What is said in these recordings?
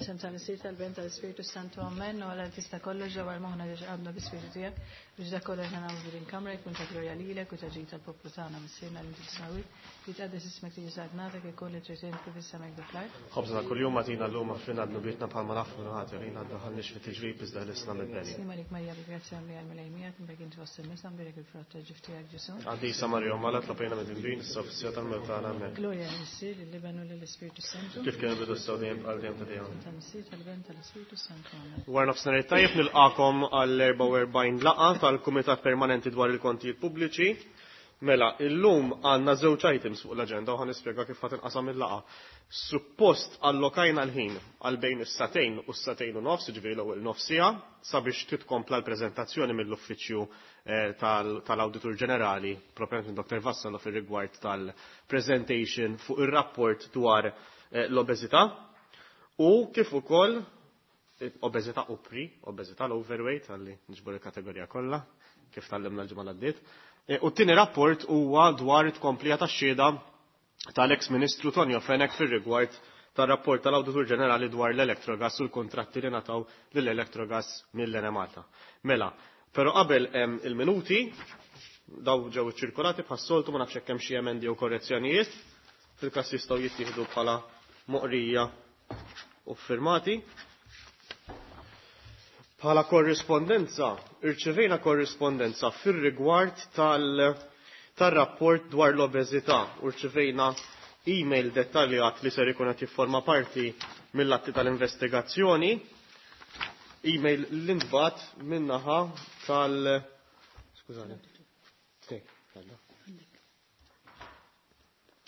Sem tal-Missier tal-Ben tal-Ispirtu Santu Amen u għal tista' kollox ġewwa moħħna li għadna bi-Spiritu tiegħek biex dak kollu aħna nagħmlu f'din kamra jkun ta' glorja lilek u ta' ġid tal-poplu tagħna Missierna li inti fis-smewwiet jitqaddes ismek tiġi saltnatek ikun li trid int kif is-sema hekk fl-art. Ħobżna kuljum agħtina llum aħfrilna dnubietna bħalma naħfru naħati għalina ddaħħalniex fit-tiġrib iżda ħlisna mill-beni. Sliem għalik Marija bil-grazzja mimlija l-Mulej miegħek imbierek inti fost in-nisa mbierek il-frott tal-ġuf tiegħek Ġesù. Qaddisa Marija Omm Alla tlob għalina midinbin issa u fis-siegħa tal-mewt tagħna. Amen. Glorja lill-Missier, lill-Iben u lill-Ispirtu Santu. Kif kien il-bidu issa u dejjem għal dejjem ta' dejjem. Tal-Missier, tal-Iben, tal-Ispirtu Santu. Amen. Wara nofsinhar it-tajjeb nilqakom għall-44 laqgħa tal-Kumitat Permanenti dwar il-Kontijiet Pubbliċi. Mela, illum għandna żewġ items fuq l-aġenda u ħa nispjega kif ħa tinqasam il-laqgħa. Suppost allokajna l-ħin għal bejn is-sagħtejn u s-sagħtejn u nofs, jiġifieri l-ewwel nofs siegħa, sabiex titkompla l-preżentazzjoni mill-Uffiċċju tal-Awditur Ġenerali, proprjament minn Dr. Vassallo fir-rigward tal-presentation fuq ir-rapport dwar l-obeżità u kif ukoll obeżità u pre, obeżità l-overweight, għalli niġbor il-kategorija kollha, kif tgħallimna l-ġimgħa l-għaddiet. U t-tieni rapport huwa dwar it-tkomplija tax-xhieda tal-ex Ministru Tonio Fenech fir-rigward tar-rapport tal-Awditur Ġenerali dwar l-Electrogas u l-kuntratti li ngħataw lill-Electrogas mill-Enemalta. Mela, però qabel hemm il-minuti, daw ġew iċċirkolati bħas-soltu ma nafx hekk hemm xi emendi jew korrezzjonijiet, fil-każ jistgħu jittieħdu bħala moqrija u firmati. Bħala korrispondenza, irċevejna korrispondenza fir-rigward tal-rapport dwar l-obeżità u rċevejna email dettaljat li ser ikun qed jifforma parti mill-atti tal-investigazzjoni, email li ntbagħat min-naħa tal Skużani.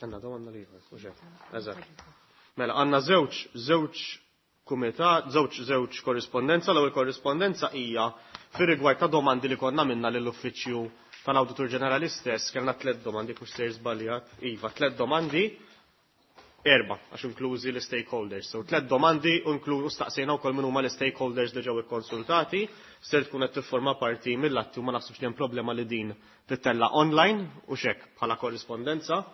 Għandna domanda li u Eżatt. Mela għandna żewġ żewġ kumitat, żewġ żewġ korrispondenza, l-ewwel korrispondenza hija fir-rigward ta' domandi li konna minna lill-Uffiċċju tal-Awditur Ġenerali stess, kellna tliet domandi kux sejr żbaljat, iva, tliet domandi, erba' għax inklużi l-stakeholders. So tliet domandi u u staqsejna wkoll min huma l-stakeholders li ġew ikkonsultati, ser tkun qed tifforma parti mill-atti u ma naħsibx li hemm problema li din tittella online u xek bħala korrispondenza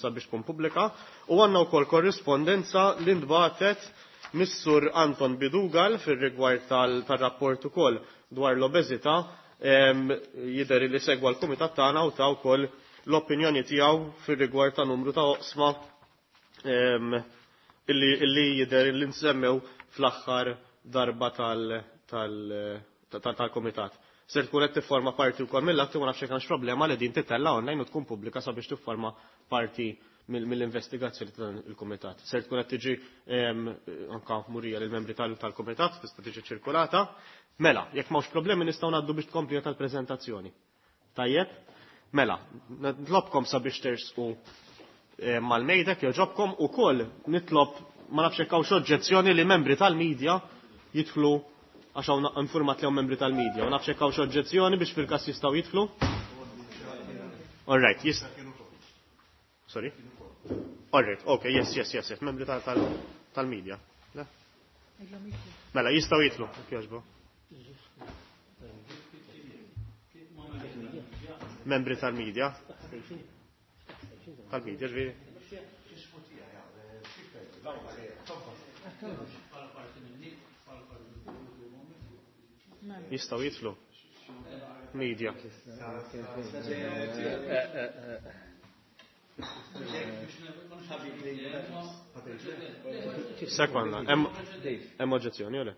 sabiex tkun pubblika. U għandna wkoll korrispondenza li ntbagħtet Missur Anton Bidugal fir-rigward tal-rapport ukoll dwar l-obeżità jidher li segwa l-kumitat tagħna u ta' wkoll l-opinjoni tiegħu fir-rigward ta' numru ta' oqsma illi jidher li nsemmew fl-aħħar darba tal-kumitat. Ser tkun qed tifforma parti wkoll mill-atti u ma nafx hekk problema li din titella online u tkun pubblika sabiex tifforma parti mill-investigazzjoni ta' dan il-kumitat. Ser tkun qed tiġi anka murija lill-membri tal-kumitat, tista' tiġi ċirkolata. Mela, jekk m'hawnx problemi nistgħu ngħaddu biex tkompli tal-preżentazzjoni. Tajjeb? Mela, nitlobkom sabiex tersqu mal-mejda jogħġobkom ukoll nitlob ma nafx hekk hawnx oġġezzjoni li membri tal-medja jidħlu għax hawn informat li hawn membri tal-medja. Ma nafx hekk hawnx oġġezzjoni biex fil-każ jistgħu jidħlu. All right, yes. Sorry? All right, okay, yes, yes, yes, yes, membri tal-media. Mela, jistgħu jidħlu, jekk jogħġbu. Membri tal-media. Tal-media, ġifieri. Jistgħu jidħlu. Media. Sekonda, hemm oġġezzjoni, le?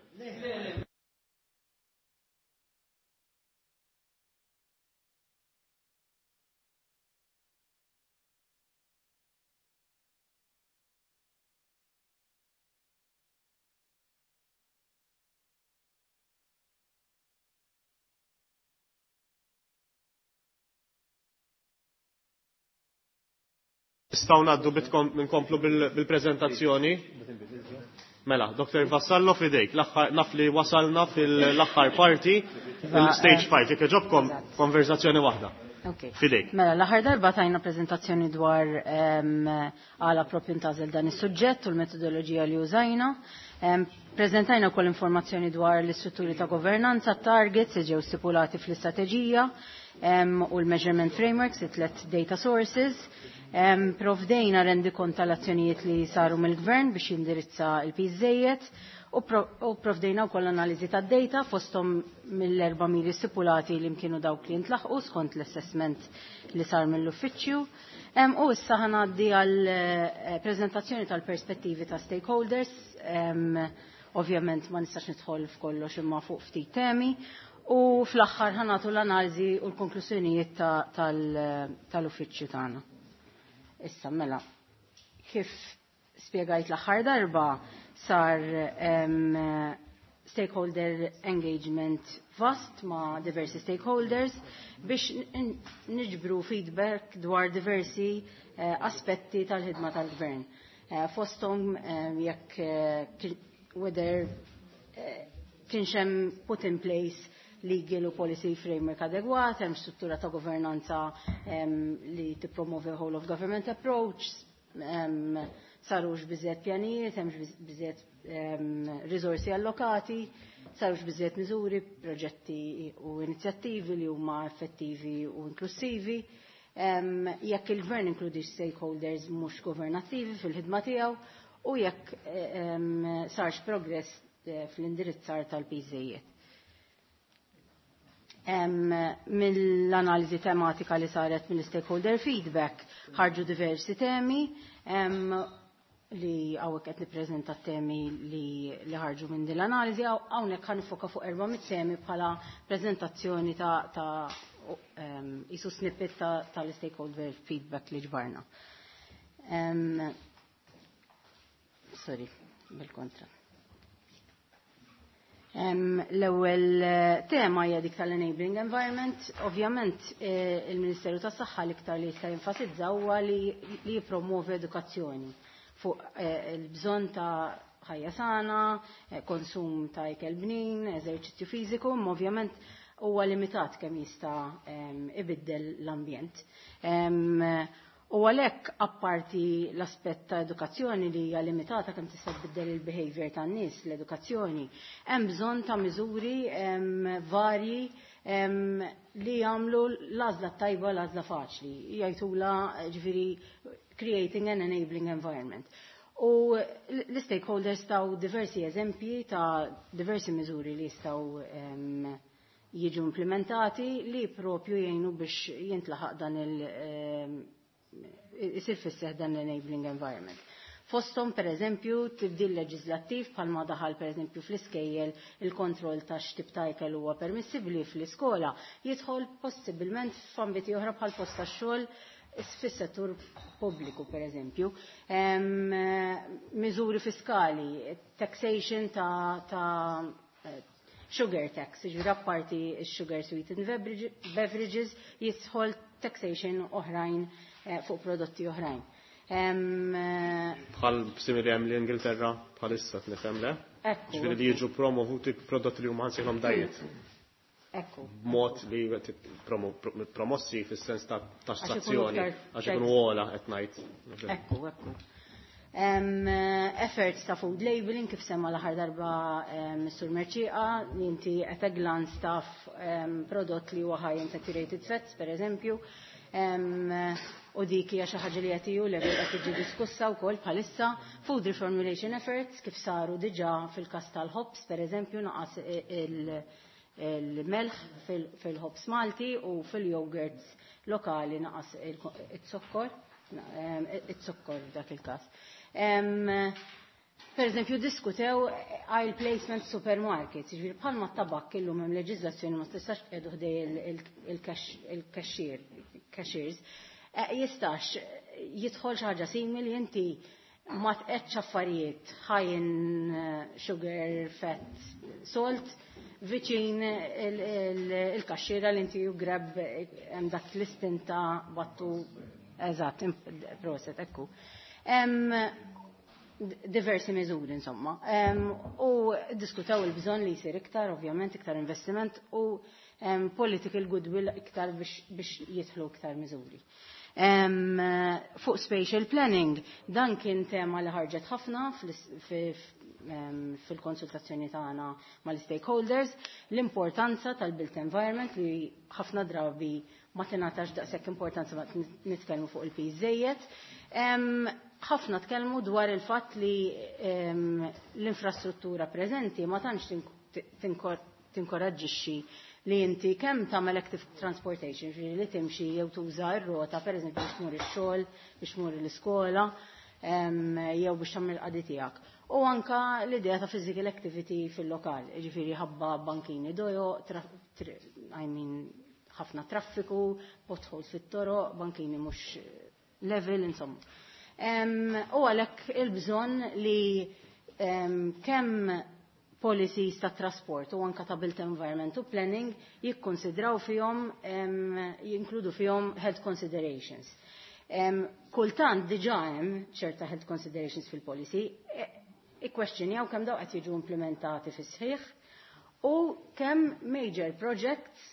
Nistgħu ngħaddu nkomplu bil-preżentazzjoni. Mela, Dr. Vassallo fidejk, naf li wasalna fil-aħħar parti, fil-stage 5, jekk jogħġobkom konverzazzjoni waħda. Fidejk. Mela, l-aħħar darba tajna preżentazzjoni dwar għala propju ntażel dan is-suġġett u l-metodoloġija li użajna. Preżentajna wkoll informazzjoni dwar l-istrutturi ta' governanza, targets li ġew stipulati fl-istrateġija u l-measurement frameworks, it-tlet data sources. Provdejna rendikont tal-azzjonijiet li saru mill-gvern biex jindirizza il-piż żejjed u provdejna wkoll analiżi tad-data fosthom mill-erba' miri stipulati li mkienu dawk li ntlaħqu skont l-assessment li sar mill-uffiċċju. U issa ħa ngħaddi għal preżentazzjoni tal-perspettivi ta' stakeholders. Ovvjament ma nistax nidħol f'kollox imma fuq ftit temi. U fl-aħħar ħa nagħtu l-analiżi u l-konklużjonijiet tal-uffiċċju tagħna. Issa mela, kif spjegajt l-aħħar darba sar stakeholder engagement vast ma' diversi stakeholders biex niġbru feedback dwar diversi aspetti tal-ħidma tal-gvern. Fosthom jekk whether kienx hemm put in place legal u policy framework adegwat, hemm struttura ta' governanza li tippromovi whole of government approach, sarux biżżejjed pjanijiet, hemmx biżżejjed risorsi allokati, sarux biżżejjed miżuri, proġetti u inizjattivi li huma effettivi u inklusivi. Jekk il-gvern inkludix stakeholders mhux governattivi fil-ħidma tiegħu u jekk sarx progress fl-indirizzar tal-piżijiet. Mill-analiżi tematika li saret mill-stakeholder feedback ħarġu diversi temi li hawnhekk qed nippreżenta temi li ħarġu minn din l-analiżi, hawnhekk ħa nifoka fuq erba' mit-temi bħala preżentazzjoni ta' isu snippet tal-stakeholder feedback li ġbarna. Sorry, bil-kontra. L-ewwel tema hija dik tal-enabling environment. Ovvjament il-Ministeru tas-Saħħa l-iktar li jista' jenfasizza huwa li jippromovi edukazzjoni fuq il-bżonn ta' ħajja sana, konsum ta' ikel bnin, eżerċizzju fiżiku, imma ovvjament huwa limitat kemm jista' ibiddel l-ambjent. U għalhekk apparti l-aspett ta' edukazzjoni li hija limitata kemm tista' tbiddel il-behavior tan-nies, l-edukazzjoni, hemm bżonn ta' miżuri varji li jagħmlu l-għażla tajba, l-għażla faċli. Jgħidula ġifieri creating an enabling environment. U l-stakeholders taw diversi eżempji ta' diversi miżuri li jistgħu jiġu implementati li propju jgħinu biex jintlaħaq dan isir fis-seħħ dan l-enabling environment. Fosthom per eżempju tibdil leġislattiv bħalma daħal per eżempju fl-iskejjel il-kontroll ta' x'tip ta' ikel huwa permissibbli fl-iskola jidħol possibilment f'ambiti oħra bħal post tax-xogħol fis-settur pubbliku per eżempju. Miżuri fiskali, taxation ta' sugar tax, ġifieri apparti sugar sweetened beverages jidħol taxation oħrajn fuq prodotti oħrajn. Bħal simili hemm l-Ingilterra bħalissa nifhem le? Ġifieri li jiġu promovuti prodotti li huma ħansejhom diet. Ekku. Mod li promossi fis-sens ta' tassazzjoni għax ikunu ogħla qed ngħid. Ekku. Efforts ta' food labeling kif semma l-aħħar darba Mr. Mercieca, li inti at a glance taf prodott li huwa high in saturated fats, per eżempju. U dik hija xi ħaġa li qed EU level qed tiġi diskussa wkoll bħalissa. Food reformulation efforts kif saru diġà fil-każ tal-ħobż, per eżempju, naqas il-melħ fil-ħobż Malti u fil-yogurts lokali naqas it-zokkor, it-zokkor dak il-każ. Per eżempju, diskutew aisle placement supermarkets, ġifieri bħalma t-tabak illum hemm leġiżlazzjoni ma tistax tqiegħdu ħdej il-cashiers, jistax jidħol xi ħaġa simili inti ma tqedx affarijiet high in sugar, fat, salt, viċin il-kaxxiera li inti you grab hemm dak l-istinta battu eżatt, proset, ekku. Diversi miżuri, insomma. U diskutaw il-bżonn li jsir iktar, ovvjament, iktar investiment u political goodwill iktar biex jidħlu iktar miżuri. Fuq spatial planning, dan kien tema li ħarġet ħafna fil-konsultazzjoni tagħna mal-stakeholders, l-importanza tal-built environment li ħafna drabi ma tingħatax daqshekk importanza ma nitkellmu fuq il-piż żejjed. Ħafna tkellmu dwar il-fatt li l-infrastruttura preżenti ma tantx tinkoraġġixxi li inti kemm tagħmel active transportation, ġifieri li timxi jew tuża r-rota pereżempju biex tmur ix-xogħol, biex tmur l-iskola, jew biex tagħmel qadi tiegħek. U anka l-idea ta' physical activity fil-lokal, ġifieri ħabba bankini dojo, I mean, ħafna traffiku, potholes fit-toroq, bankini mhux level, insomma. U għalhekk il-bżonn li kemm policies ta' trasport u anka ta' built environment u planning jikkonsidraw fihom, jinkludu fihom health considerations. Kultant diġà hemm ċerta health considerations fil-policy, ikkwestjonjaw kemm daw qed jiġu implementati fis-sħiħ u kemm major projects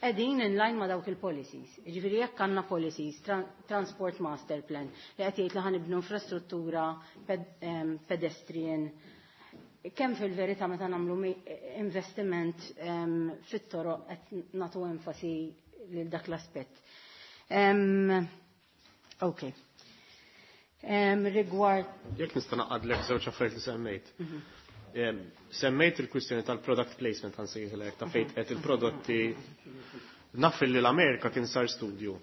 qegħdin in line ma' dawk il-policies. Jiġifieri jekk għandna policies, Transport Master Plan, li qed jgħid li ħa nibnu infrastruttura pedestrian, kemm fil-verità meta nagħmlu investiment fit-toroq qed nagħtu enfasi lil dak l-aspett. Ok. Rigward Jekk nista' naqadlek żewġ affarijiet li semmejt. Semmejt il-kwistjoni tal-product placement, ħa nsejħilek, ta' fejn qed il-prodotti. Naf li l-Amerika kien sar studju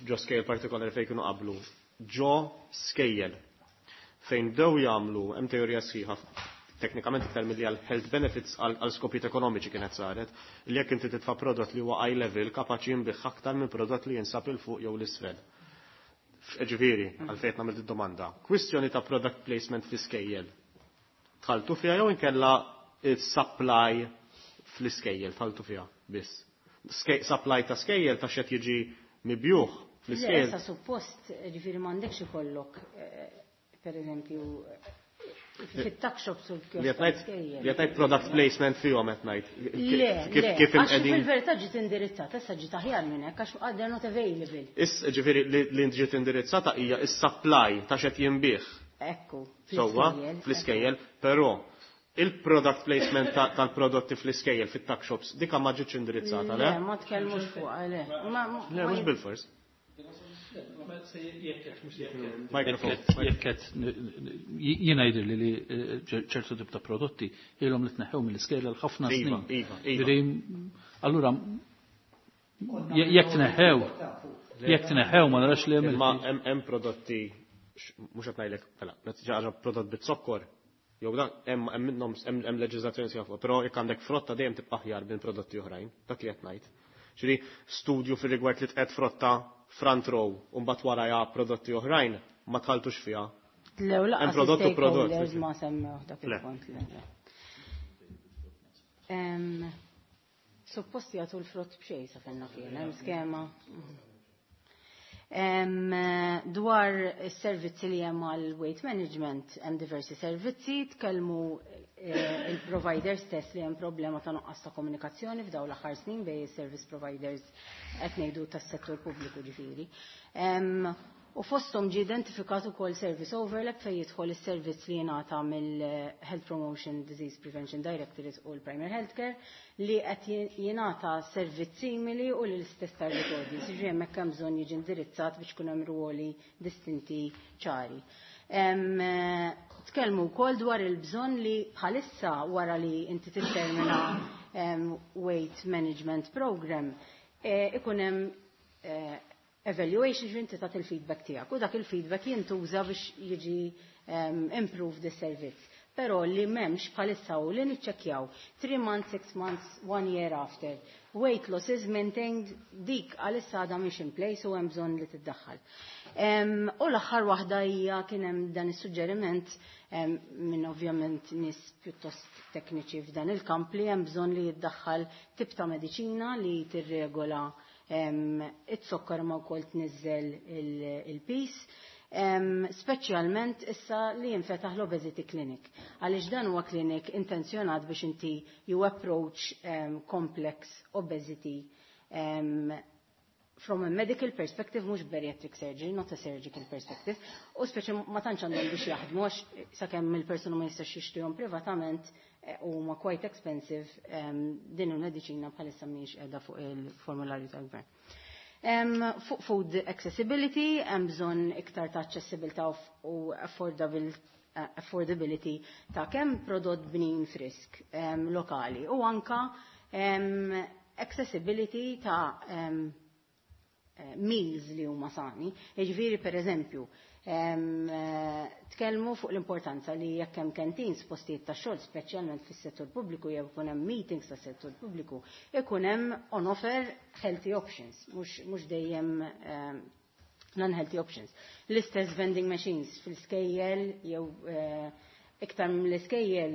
ġo skejjel partikolari fejn kienu qablu ġo skejjel fejn bdew jagħmlu, hemm teorija sħiħa teknikament iktar milli għal health benefits, għal skopijiet ekonomiċi kienet saret, li jekk inti titfa' prodott li huwa eye level kapaċi jinbigħ aktar minn prodott li jinsab 'il fuq jew l-isfel. Ġifieri, għalfejn nagħmel id-domanda. Kwistjoni ta' product placement fl-iskejjel. Dħaltu fiha jew inkella il-supply fl-iskejjel, dħaltu fiha biss? Supply ta' skejjel ta' xed jiġi mibjugħ fl-iskejjel. Issa suppost, ġifieri m'għandekx ikollok, per eżempju, fit-tuck shops u Li qed ngħid product placement fihom qed ngħid. Le, Kif le, kif għax imqegħdin fil-verità ġiet indirizzata, issa ġiet aħjar minn hekk għax they're not available. Is ġifieri li ġiet indirizzata hija is-supply ta' xed jinbigħ. Ekku, Sewwa, fl-iskejjel. Fl-iskejjel, però il-product placement tal-prodotti fl-iskejjel fit-tuck shops dika ma ġietx indirizzata, le? Le, ma tkellmux fuq, le. Le, mhux bil-fors. Microphone. Jekk jiena jidher li ċertu tip ta' prodotti ilhom li tneħħew mill-iskejjel għal ħafna snin. Iva. Ġifieri, allura jekk tneħħew ma narax li hemm Imma hemm prodotti, mhux qed ngħidlek, mela, meta xi ħaġa prodott bit-zokkor, jew dan hemm minnhom hemm leġiżlazzjoni sħiħa fuq, però jekk għandek frotta dejjem tibqa' aħjar minn prodotti oħrajn, dak li qed ngħid. Ġifieri studju fir-rigward li tqed frotta front row u mbagħad warajha prodotti oħrajn ma dħaltux fiha. Le, u lanqas Hemm prodott u prodott. stakeholders ma semmew dak Le. il-punt. Le. Suppost jagħtu l-frott b'xejn sa fenna kien, hemm skema. Dwar is-servizzi li hemm għal weight management, hemm diversi servizzi, tkellmu il-providers stess li hemm problema ta' nuqqas ta' komunikazzjoni f'daw l-aħħar snin bejn is-service providers, qed ngħidu tas-settur pubbliku ġifieri. U fosthom ġie identifikat ukoll service overlap fejn jidħol is-servizz li jingħata mill-Health Promotion Disease Prevention Directorate u l-Primary Healthcare li qed jingħata servizz simili u l-istess target audience. Ġifieri hemmhekk hemm bżonn jiġi indirizzat biex ikun hemm ruoli distinti ċari. Tkellmu wkoll dwar il-bżonn li bħalissa wara li inti tittermina weight management program ikun hemm evaluation, ġifieri inti tagħti il-feedback tiegħek u dak il-feedback jintuża biex jiġi improve the service. Però li m'hemmx bħalissa u li niċċekkjaw 3 months, 6 months, 1 year after. Weight loss is maintained, dik għalissa għadha mhix in place u hemm bżonn li tiddaħħal. U l-aħħar waħda hija kien hemm dan is-suġġeriment minn ovvjament nies pjuttost tekniċi f'dan il-kamp li hemm bżonn li jiddaħħal tip ta' mediċina li tirregola it-sokkar ma wkoll tniżżel il-piż. Speċjalment issa li jinfetaħ l-obesity clinic. Għaliex dan huwa clinic intenzjonat biex inti you approach complex obesity from a medical perspective, mhux bariatric surgery, not a surgical perspective, u speċi ma tantx għandhom biex jaħdmu għax sakemm il-persuna ma jistax jixtrihom privatament u ma quite expensive, din il-mediċina bħalissa mhijiex qiegħda fuq il-formularju tal-gvern. Fuq food accessibility, hemm bżonn iktar ta' accessibilità u affordability ta' kemm prodott bnin frisk lokali u anka accessibility ta' meals li huma sani. Jiġifieri per eżempju, tkellmu fuq l-importanza li jekk hemm canteens postijiet ta' xogħol speċjalment fis-settur pubbliku jew ikun hemm meetings tas-settur pubbliku, ikun hemm on offer healthy options, mhux dejjem non-healthy options. L-istess vending machines fil-skejjel jew iktar mill-iskejjel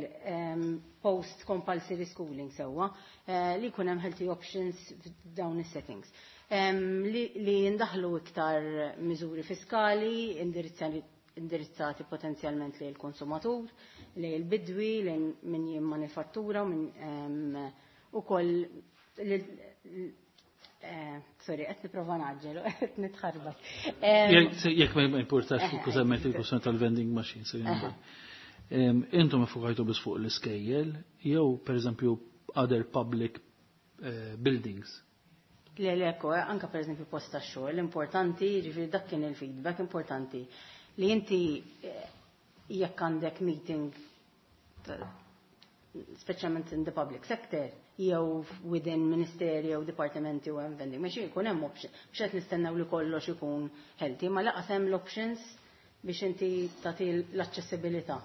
post compulsory schooling sewwa li jkun hemm healthy options f'dawn is-settings. Li jindaħlu iktar miżuri fiskali indirizzati potenzjalment lejn il-konsumatur, lejn il-bidwi, lejn min jimmanifattura, min ukoll sorry, qed nipprova ngħaġġel, qed nitħarbat. Jekk ma importax fuq semmejt il-kwestjoni tal-vending machines. Intom iffukajtu biss fuq l-iskejjel jew pereżempju other public buildings? Le, le, ekku, anka per eżempju post ta' xogħol, importanti, ġifieri dak kien il-feedback importanti li inti jekk għandek meeting speċjalment in the public sector, jew within ministeri jew dipartimenti u hemm vending machine, jkun hemm option. Mhux qed nistennew li kollox ikun healthy, ma laqas hemm l-options biex inti tagħti l-aċċessibilità.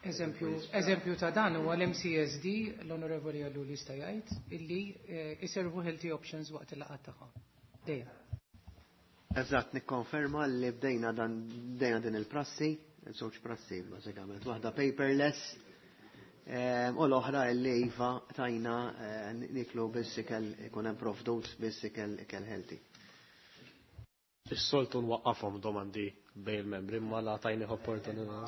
Eżempju ta' dan huwa l-MCSD, l-Onorevoli Ellul jista' jgħid, illi iservu healthy options waqt il-laqgħat tagħhom. Dejjem. Eżatt, nikkonferma li bdejna dan bdejna din il-prassi, żewġ prassi bażikament, waħda paperless u l-oħra li iva tajna niklu biss ikel ikun hemm provdut biss ikel ikel healthy. Is-soltu nwaqqafhom domandi bejn il-membri, ma la tajni opportunità.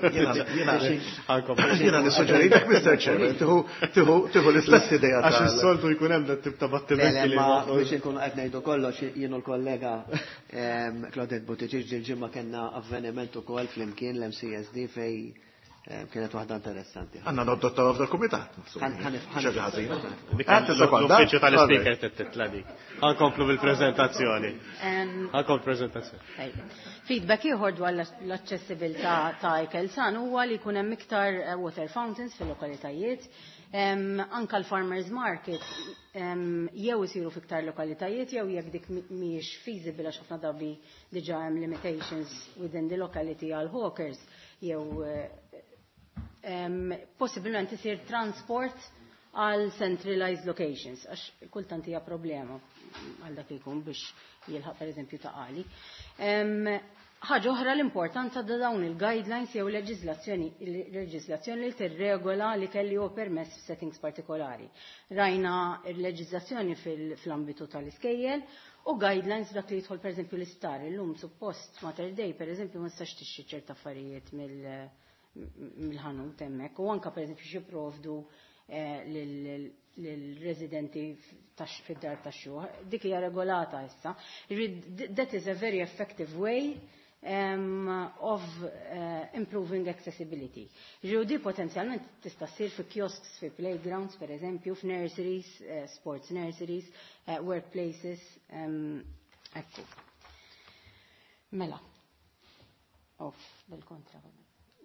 Jiena nissuġġeritek, Mr. Chairman, tieħu l-istess idea. Għax is-soltu jkun hemm dat tip ta' battimenti li Ma biex inkunu qed ngħidu kollox, jien u l-kollega Claudette Buttigieg ġil-ġimgħa kellna avveniment ukoll flimkien l-MCSD fej kienet waħda interessanti. Għandna nadottaw f'dal-kumitat. Xi ħażina. L-uffiċċju tal-speaker titla dik. Ħa nkomplu bil-preżentazzjoni. Ħa nkomplu prezentazzjoni. Feedback ieħor dwar l-aċċessibilità ta' ikel san huwa li jkun hemm iktar water fountains fil-lokalitajiet. Anka l-farmers market jew isiru fiktar lokalitajiet jew jekk dik mhijiex feasible għax ħafna drabi diġà hemm limitations within the locality għal hawkers jew possibilment isir transport għal centralized locations, għax kultant hija problema għal dak li jkun biex jilħaq per eżempju Ta' Qali. Ħaġa oħra, l-importanza ta' dawn il-guidelines jew leġiżlazzjoni li tirregola li kelli huwa permess f'settings partikolari. Rajna l-leġiżlazzjoni fl-ambitu tal-iskejjel u guidelines dak li jidħol per eżempju l-isptar. Illum suppost Mater Dei per eżempju ma tistax tixtri ċerta affarijiet mill-ħanut hemmhekk u anka per eżempju xi provdu lill-residenti fid-dar tax-xjuħ. Dik hija regolata issa. That is a very effective way of improving accessibility. Ġew potenzjalment tista' ssir fi kiosks, fi playgrounds, per eżempju, f'nurseries, sports nurseries, workplaces, ekku. Mela. Off, bil-kontra.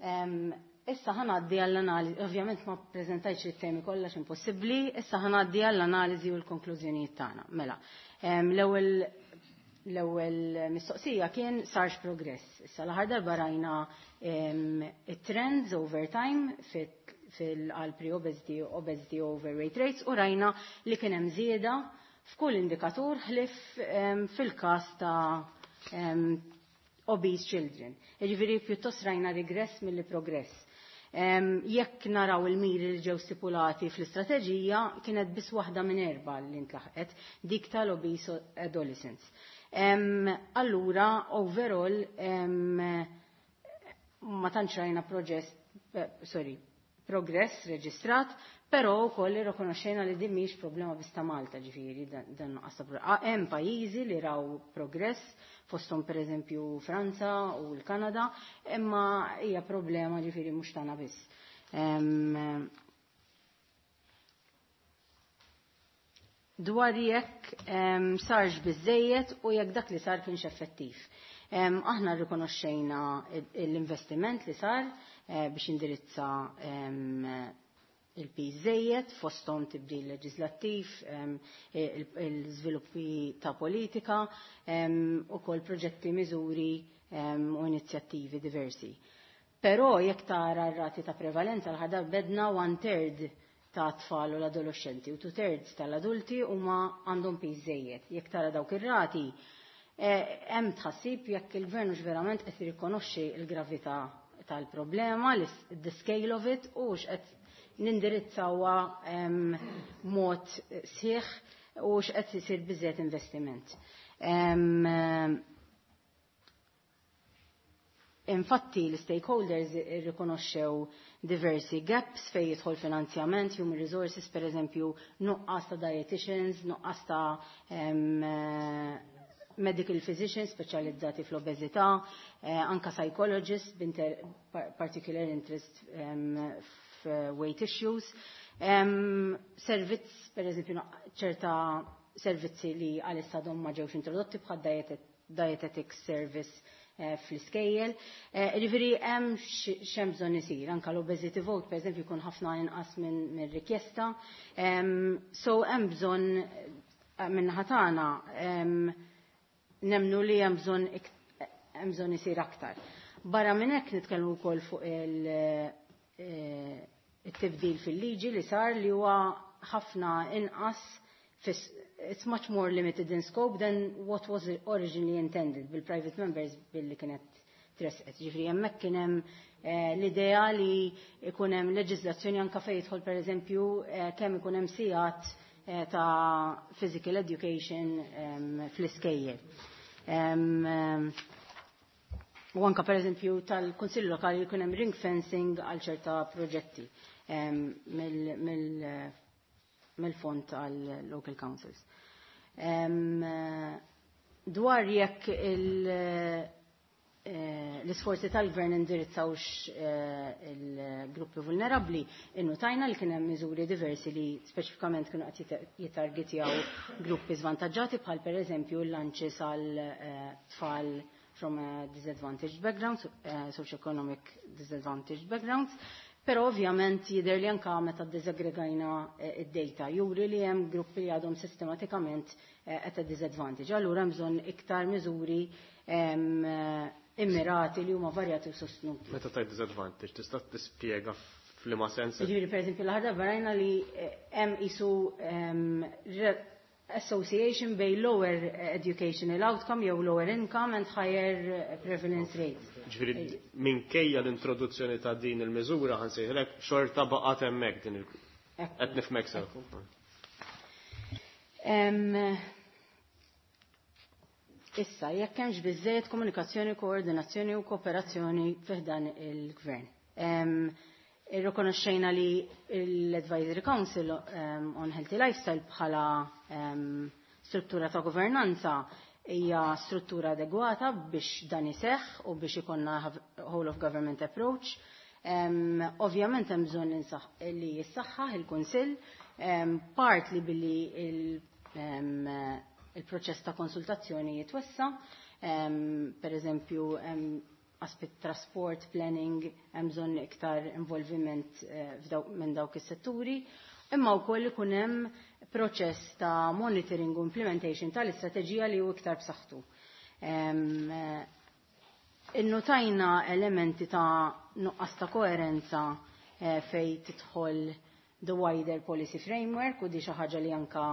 Issa ħa ngħaddi għall-analiżi, ovvjament ma prezentajx it-temi kollha impossibbli, issa ħa ngħaddi għall-analiżi u l-konklużjonijiet tagħna. Mela, l-ewwel mistoqsija kien sarx progress. Issa l-aħħar darba rajna it-trends over time fil-għal pre-obesity, obesity, overweight rates u rajna li kien hemm żieda f'kull indikatur ħlif fil-każ ta' obese children. Jiġifieri pjuttost rajna regress milli progress. Jekk naraw il-miri li ġew stipulati fl-istrateġija, kienet biss waħda minn erba' li ntlaħqet, dik tal-obese adolescents. Allura, overall, ma tantx rajna progress, sorry, progress reġistrat, però wkoll irrikonoxxejna li din mhijiex problema biss ta' Malta, ġifieri dan nuqqas ta' hemm pajjiżi li raw progress, fosthom pereżempju Franza u l-Kanada, imma hija problema ġifieri mhux tagħna biss. Dwar jekk sarx biżejjed u jekk dak li sar kienx effettiv. Aħna rrikonoxxejna l-investiment li sar biex indirizza il-piż żejjed, fosthom tibdil leġislattiv, il-żviluppi ta' politika, ukoll proġetti, miżuri u inizjattivi diversi. Però jekk tara r-rati ta' prevalenza l-ħadar bedna 1/3 ta' tfal u l-adolescenti u 2/3 tal-adulti huma għandhom piż żejjed. Jekk tara dawk ir-rati, hemm tħassib jekk il-gvern hux verament qed jirrikonoxxi l-gravità tal-problema, the scale of it, u x'qed nindirizzawha mod sħiħ u x'qed isir biżejjed investiment. Infatti l-stakeholders irrikonoxxew diversi gaps fej jidħol finanzjament, human resources, per eżempju, nuqqas ta' dietitians, nuqqas ta' medical physicians speċjalizzati fl-obeżità, anka psychologists particular interest f'weight issues. Servizz, per eżempju, ċerta servizzi li għalissa għadhom ma ġewx introdotti bħal dietetic service fl-iskejjel. Ġifieri hemm x'hemm bżonn isir, anka l-obesity vote per eżempju jkun ħafna inqas minn rikjesta. So hemm bżonn minn tagħna nemnu li hemm bżonn isir aktar. Barra minn hekk nitkellmu wkoll fuq il-tibdil fil-liġi li sar li huwa ħafna inqas, it's much more limited in scope than what was originally intended bil-private members billi kienet tresqet. Ġifieri hemmhekk kien hemm l-idea li ikun hemm leġiżlazzjoni anka fejn jidħol pereżempju kemm ikun hemm sigħat ta' physical education fl-iskejjel. U anka pereżempju tal-Kunsill Lokali jkun hemm ring fencing għal ċerta proġetti mill-fond għal local councils. Dwar jekk l-isforzi tal-gvern indirizzawx il-gruppi vulnerabli, innutajna li kien hemm miżuri diversi li speċifikament kienu qed jittargetjaw gruppi żvantaġġati bħal pereżempju l-lunches għal tfal from a disadvantaged background, socioeconomic disadvantaged backgrounds. Però ovvjament jidher li anka meta ddiżaggregajna id-data juri li hemm gruppi li għadhom sistematikament at a disadvantage. Allura hemm bżonn iktar miżuri immirati li huma varjati u sostnuti. Meta tajt disadvantage, tista' tispjega f'liema sens? Ġifieri pereżempju l-aħħar darba rajna li hemm isu association bej lower educational outcome jew lower income and higher prevalence rate. Ġifieri minkejja l-introduzzjoni ta' din il-miżura ħa nsejħlek xorta baqgħet hemmhekk din il qed nifhmek sew. Issa, jekk hemmx biżejjed komunikazzjoni, koordinazzjoni u kooperazzjoni fih dan il-gvern. Irrikonoxxejna li l-Advisory Council on Healthy Lifestyle bħala struttura ta' governanza hija struttura adegwata biex dan iseħħ u biex ikonna whole of government approach. Ovvjament hemm bżonn li jissaħħaħ il-Kunsill, partly billi il-proċess ta' konsultazzjoni jitwessa, per eżempju aspett trasport, planning, hemm bżonn iktar involviment minn dawk is-setturi, imma wkoll ikun hemm proċess ta' monitoring u implementation tal-istrateġija li hu iktar b'saħħtu. Innotajna elementi ta' nuqqas ta' koerenza fej tidħol the wider policy framework u di xi ħaġa li anka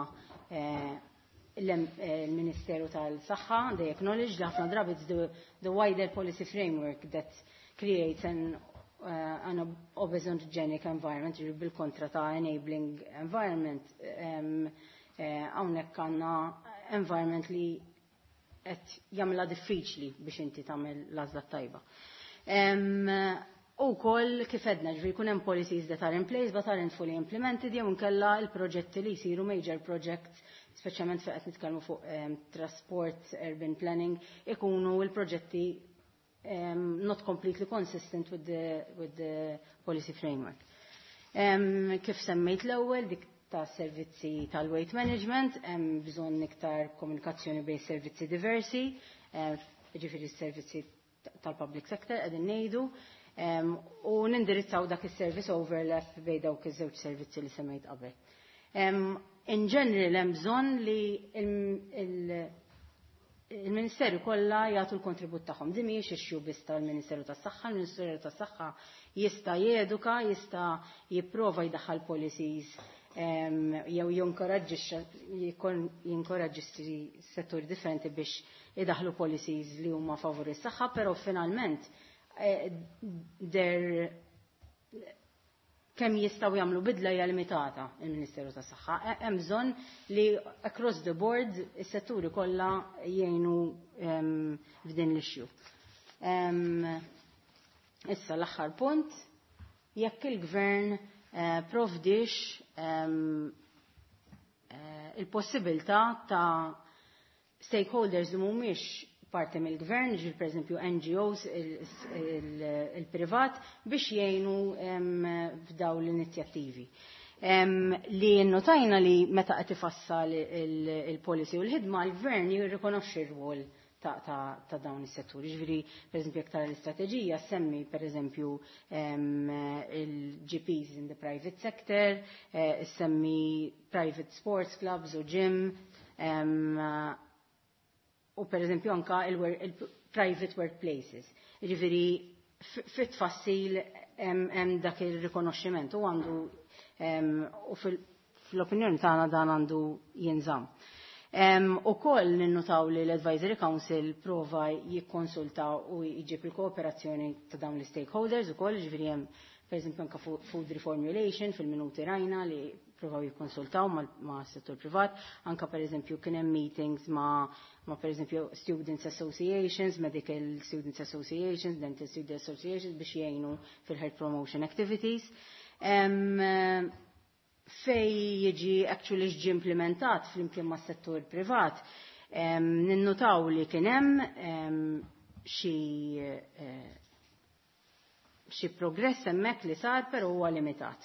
l-Ministeru tal-Saħħa, they acknowledge li ħafna drabi it's the wider policy framework that creates an obesogenic environment, ġifieri bil-kontra ta' enabling environment. Hawnhekk għandna environment li qed jagħmilha diffiċli biex inti tagħmel l-għażla tajba. U koll kif edna, ġifieri jkun hemm policies that are in place but aren't fully implemented jew inkella l-proġetti li jsiru major projects, speċjalment fejn qed nitkellmu fuq trasport, urban planning, ikunu l-proġetti not completely consistent with the policy framework. Kif semmejt l-ewwel dik ta' servizzi tal-weight management, hemm bżonn iktar komunikazzjoni bejn servizzi diversi, ġifieri s-servizzi tal-public sector qegħdin ngħidu, u nindirizzaw dak is-service overlap bejn dawk iż-żewġ servizzi li semmejt qabel. In general hemm bżonn li il-Ministeru kollha jagħtu l-kontribut tagħhom. Din mhijiex issue biss tal-Ministeru tas-Saħħa, il-Ministeru tas-Saħħa jista' jeduka, jista' jipprova jdaħħal policies jew jinkoraġġixxi settur differenti biex idaħlu policies li huma favur is-saħħa, però finalment der kemm jistgħu jagħmlu bidla hija limitata il-Ministeru tas-Saħħa. Hemm bżonn li across the board is-setturi kollha jgħinu f'din l-issue. Issa l-aħħar punt, jekk il-gvern provdix il-possibilità ta' stakeholders li mhumiex parti mill-gvern, ġil per eżempju NGOs, il-privat, biex jgħinu f'daw l-inizjattivi. Li notajna li meta qed ifassal il-policy u l-ħidma, l-gvern jirrikonoxxi r-rwol ta' dawn is-setturi. Ġifieri, per eżempju, jekk tara l-istrateġija semmi per eżempju il-GPs in the private sector, semmi private sports clubs u gym, u per eżempju anka il-private workplaces. Ġifieri, fit-tfassil hemm dak il-rikonoxximent u għandu u fl-opinjoni tagħna dan għandu jinżamm. U koll ninnutaw li l-Advisory Council prova jikkonsulta u jġib il-kooperazzjoni ta' dawn l-stakeholders u koll, ġifieri hemm per eżempju anka food reformulation fil-minuti rajna li provaw jikkonsultaw ma' settur privat, anka per eżempju kien hemm meetings ma' per eżempju Students Associations, Medical Students Associations, Dental Students Associations biex jgħinu fil-health promotion activities. Fej jiġi actually ġi implementat flimkien ma' settur privat, ninnutaw li kien hemm xi progress hemmhekk li sar, però huwa limitat.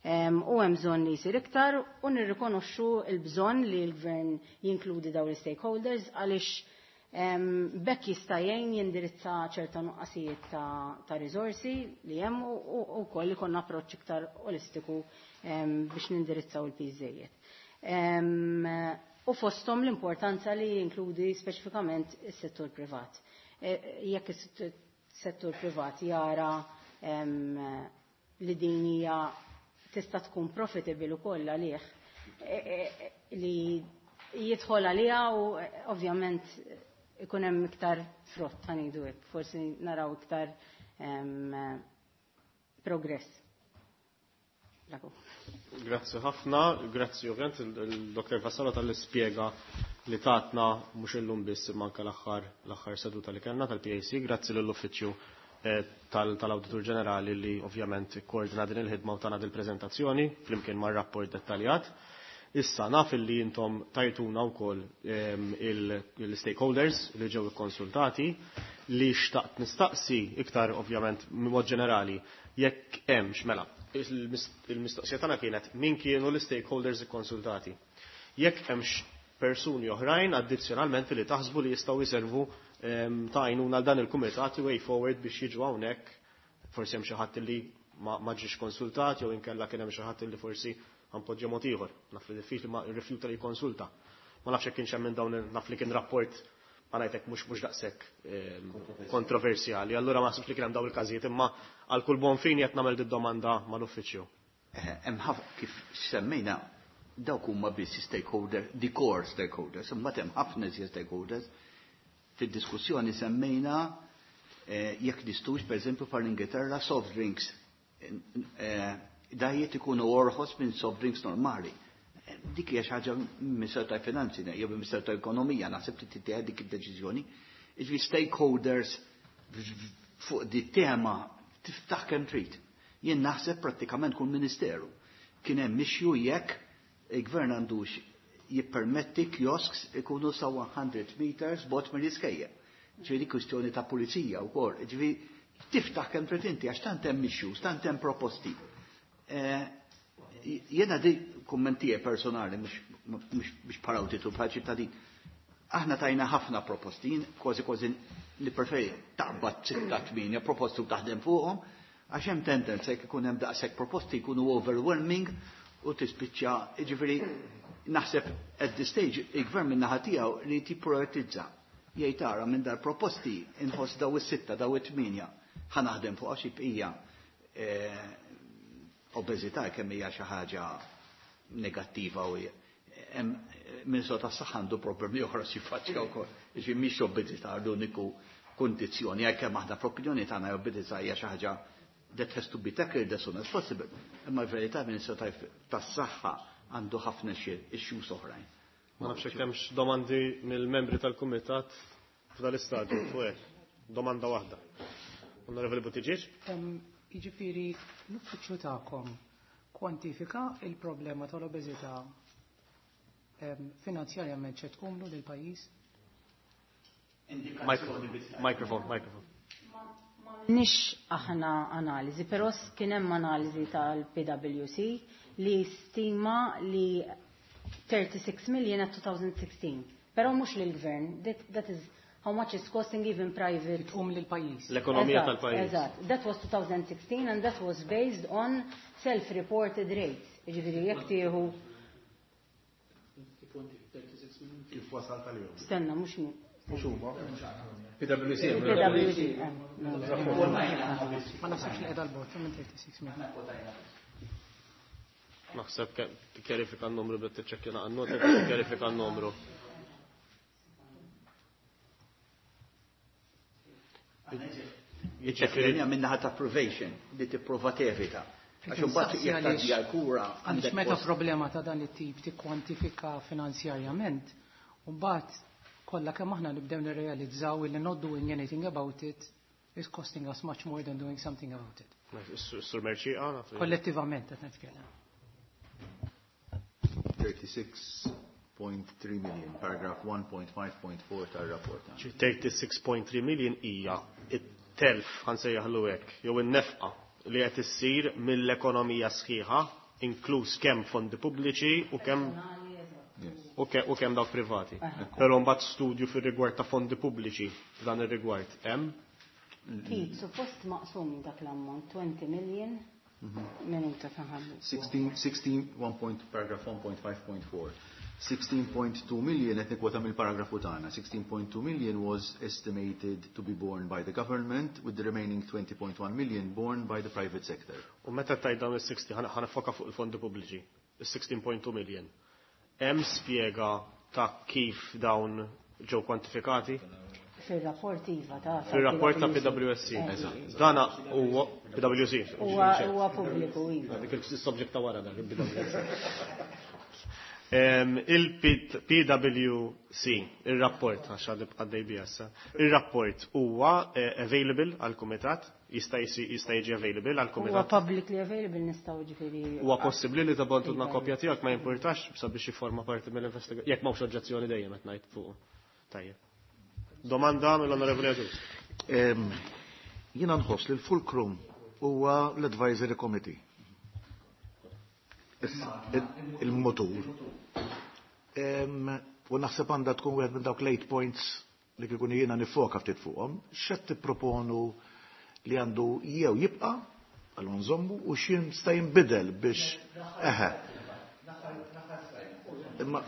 U hemm bżonn li jsir iktar u nirrikonoxxu l-bżonn li l-gvern jinkludi dawn l-stakeholders għaliex bekk jista' jgħin jindirizza ċerta nuqqasijiet ta' riżorsi li hemm u wkoll ikollna approċċ iktar olistiku biex nindirizzaw il-piż. U fosthom l-importanza li jinkludi speċifikament is-settur privat. Jekk is-settur privat jara li din hija tista' tkun profitable ukoll għalih li jidħol għaliha u ovvjament ikun hemm iktar frott, ħa ngħidu hekk, forsi naraw iktar progress. Bravo. Grazzi ħafna, grazzi ovvjament il-Dr. Vassallo tal-ispjega li tatna mhux illum biss imma anke l-aħħar seduta li kellna tal-PAC, grazzi lill-Uffiċċju tal-Awditur Ġenerali li ovvjament koordina din il-ħidma u tana dil-preżentazzjoni flimkien mar-rapport dettaljat. Issa naf li intom tajtuna wkoll il-stakeholders li ġew ikkonsultati li xtaqt nistaqsi iktar ovvjament mod ġenerali jekk hemmx mela. Il-mistoqsija tagħna kienet min kienu l-stakeholders ikkonsultati. Jekk hemmx persuni oħrajn addizzjonalment li taħsbu li jistgħu jservu ta' għajnuna għal dan il-kumitat way forward biex jiġu hawnhekk, forsi hemm xi ħadd li ma ġiex konsultat jew inkella kien hemm xi ħadd li forsi għampoġġa mod ieħor. Naf li diffiċli ma rrifjuta li jkonsulta. Ma nafx hekk kienx hemm minn dawn, naf li kien rapport ma ngħidlek mhux daqshekk kontroversjali. Allura ma naħsibx li kien hemm dawn il-każijiet, imma għal kull bon fin qed nagħmel did-domanda mal-uffiċċju. Hemm ħafna kif semmejna dawk huma biss stakeholder, the core stakeholders, imma hemm ħafna iżjed stakeholders. Fid-diskussjoni semmejna jekk nistgħux pereżempju par l-Ingilterra soft drinks diet ikunu orħos minn soft drinks normali. Dik hija xi ħaġa Ministeru tal-Finanzi jew Ministeru tal-Ekonomija naħseb li tittieħed dik id-deċiżjoni. Jiġifieri stakeholders fuq di tema tiftaħ kemm trid. Jien naħseb prattikament kull ministeru. Kien hemm issue jekk il-gvern għandux jippermetti kiosks ikunu sa 100 meters bot mill-iskejjel. Ġifieri kwistjoni ta' pulizija wkoll. Ġifieri tiftaħ kemm trid inti għax tant hemm issues, tant hemm proposti. Jena di kummentije personali, mhux bħala awditur, bħala ċittadin. Aħna tajna ħafna proposti, kważi kważi nippreferi taqbad sitta tmienja proposti u taħdem fuqhom, għax hemm tendenza jekk ikun hemm daqshekk proposti jkunu overwhelming u tispiċċa, jiġifieri naħseb at this stage il-gvern min-naħa tiegħu li jipprioritizza. Jgħid ara minn dar proposti inħoss daw is-sitta, daw it-tmienja, ħa naħdem fuq għax hija obeżità kemm hija xi ħaġa negattiva u hemm Ministru tas-Saħħa għandu problemi oħra xi faċċja wkoll. Jiġifieri mhix obeżità l-uniku kundizzjoni, għalkemm aħna fl-opinjoni tagħna obeżità hija xi ħaġa that has to be tackled as soon as possible. Imma l-verità Ministru tas-Saħħa għandu ħafna xi issues oħrajn. Ma nafx hekk hemmx domandi mill-membri tal-kumitat f'dan l-istadju fuq hekk. Domanda waħda. Onorevoli Buttigieg? Jiġifieri l-uffiċċju tagħkom kwantifika il-problema tal-obeżità finanzjarjament x'qed tqumlu lill-pajjiż? Microphone, microphone. Nix aħna analiżi, però kien hemm analiżi tal-PwC li stima li 36 million at 2016. Però mhux lill-gvern, that is how much is costing even private. Tqum lill-pajjiż. L-ekonomija tal-pajjiż. Eżatt. That was 2016 and that was based on self-reported rates. Jiġifieri jekk tieħu Kif wasal tal-jum? Stenna, mhux min. Mhux huma. PwC. PwC. Ma naħsibx li qiegħda l-bogħod minn 36 million. Naħseb tikkjarifika n-numru biex tiċċekkja nota, tikkjarifika n-numru. Jiġifieri minnaħa ta' probation li tipprova tevita. Għax imbagħad jekk tgħaddi għall-kura għandek meta problema ta' dan it-tip tikkwantifika finanzjarjament, u mbagħad kollha kemm aħna nibdew nirrealizzaw li not doing anything about it is costing us much more than doing something about it. Sur Merċieqa, Kollettivament qed nitkellem. 36.3 million, paragraph 1.5.4 tar-rapport. 36.3 million hija it-telf ħa nsejjaħlu hekk, jew in-nefqa li qed issir mill-ekonomija sħiħa, inkluż kemm fondi pubbliċi u kemm u kemm dawk privati. Però mbagħad studju fir-rigward ta' fondi pubbliċi f'dan ir-rigward hemm. Kif suppost maqsum dak l-ammont 20 million minuta taħallu. 16, 16, 1 point, paragraph 1.5.4. 16.2 million, qed nikkwota mill-paragrafu tagħna. 16.2 million was estimated to be borne by the government, with the remaining 20.1 million borne by the private sector. U meta tajt dawn is-60 ħa nifoka fuq il-fondi pubbliċi, is-16.2 million. Hemm spjega ta' kif dawn ġew kwantifikati? Fil-rapport iva ta' Fil-rapport ta' PwC. Dana huwa PwC. Huwa pubbliku iva. Dik il-subject ta' wara dak il-PwC. Il-PwC, il-rapport, għax għaddi għaddej bija issa, il-rapport huwa available għal-kumitat, jista' jiġi available għal-kumitat. Huwa publicly available nistgħu ġifieri. Huwa possibbli li tibagħtulna kopja tiegħek ma jimpurtax sabiex jifforma parti mill-investigazzjoni. Jekk m'hawnx oġġezzjoni dejjem qed ngħid fuq. Tajjeb. Domanda mill-Onorevoli Agius. Jiena nħoss li l-fulcrum huwa l-Advisory Committee. Il-motur. U naħseb għandha tkun wieħed minn dawk l-eight points li kieku jiena nifoka ftit fuqhom, x'qed tipproponu li għandu jew jibqa' għal nżommu u x'jien sta jinbidel biex eħe. Imma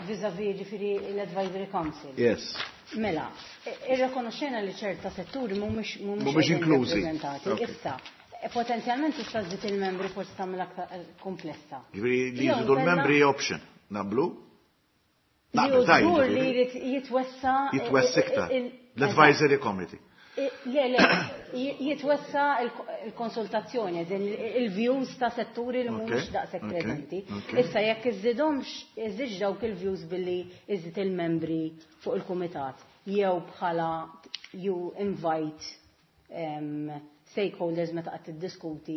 Vis-a-vis ġifieri l-Advisory Council. Yes. Mela, irrekonoxxejna li ċerta setturi mhumiex Mhumiex inklużi. rappreżentati. Issa, potenzjalment tista' żżid il-membri forsi tagħmel aktar komplessa. Ġifieri li Jew jżidu l-membri option. Naqblu? Li Naqbel, tajjeb, żgur li ġifieri. jrid jitwessa Jitwessa iktar. L-Advisory Committee. Le, le, jitwessa il-konsultazzjoni, din il-views ta' setturi li mhumiex daqshekk preżenti. Issa jekk iżżidhomx, iżżidx dawk il-views billi iżżid il-membri fuq il-kumitat, jew bħala you invite stakeholders meta qed tiddiskuti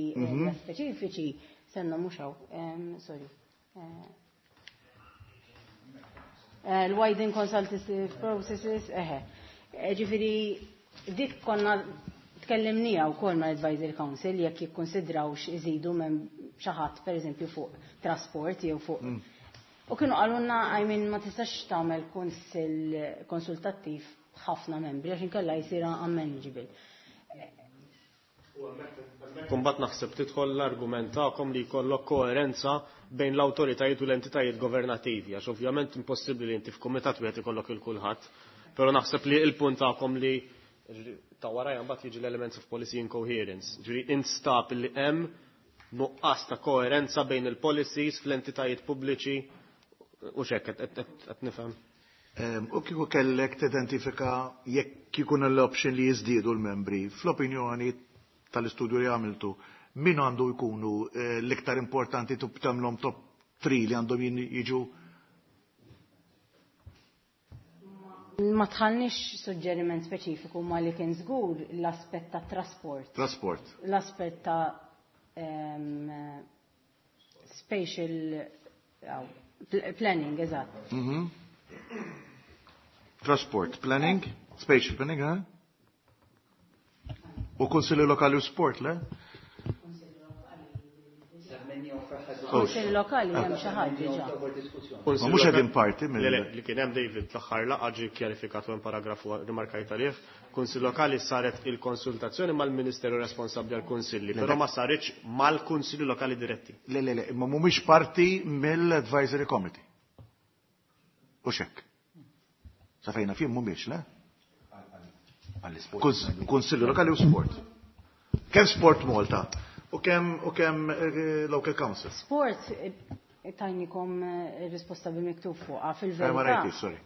speċifiċi, senna mhux hawn, sorry. L-widen consultative processes, eħe. Ġifieri, dik konna Tkellimnija wkoll mal-Advisory Council jekk jikkonsidrawx iżidu minn xi ħadd pereżempju fuq trasport jew fuq. U kienu qalulna, I mean, ma tistax tagħmel kunsill konsultattiv b'ħafna membri għax inkella jsir unmanageable. Kumbat naħseb tidħol l-argument tagħkom li jkollok koerenza bejn l-awtoritajiet u l-entitajiet governattivi, għax ovvjament impossibbli li inti f'kumitat wieħed ikollok il kulħadd. Però naħseb li il-punt tagħkom li ta' warajja mbagħad jiġi l-elements of policy incoherence. Ġifieri instab li hemm nuqqas ta' koerenza bejn il-policies fl-entitajiet pubbliċi u x'hekk qed nifhem. U kieku kellek tidentifika jekk ikun l-option li jiżdiedu l-membri, fl-opinjoni tal-istudju li għamiltu, min għandu jkunu l-iktar importanti tagħmlhom top 3 li għandhom jiġu? Ma tħallniex suġġeriment speċifiku, ma li kien żgur l-aspett ta' trasport. Trasport. L-aspett ta' spatial planning, eżatt. Transport, planning, spatial planning, eh? U Kunsilli Lokali u Sport, le? Kunsilli Lokali hemm xi ħadd diġà. Ma mhux qegħdin parti mill- Le, li kien hemm, David, l-aħħar laqgħa ġie kjarifikat hemm paragrafu rimarkajt għalih. Kunsill Lokali saret il-konsultazzjoni mal-Ministeru responsabbli għall-Kunsilli, però ma saritx mal-Kunsilli Lokali diretti. Le, le, le, ma mhumiex parti mill-Advisory Committee. U xek. Sa fejna fim mhumiex, le? Kunsilli Lokali u Sport. Kemm Sport Malta u kemm Local Council. Sport tajnikom risposta bil-miktub fuqha Ma fil-verità. Rajti, sorry.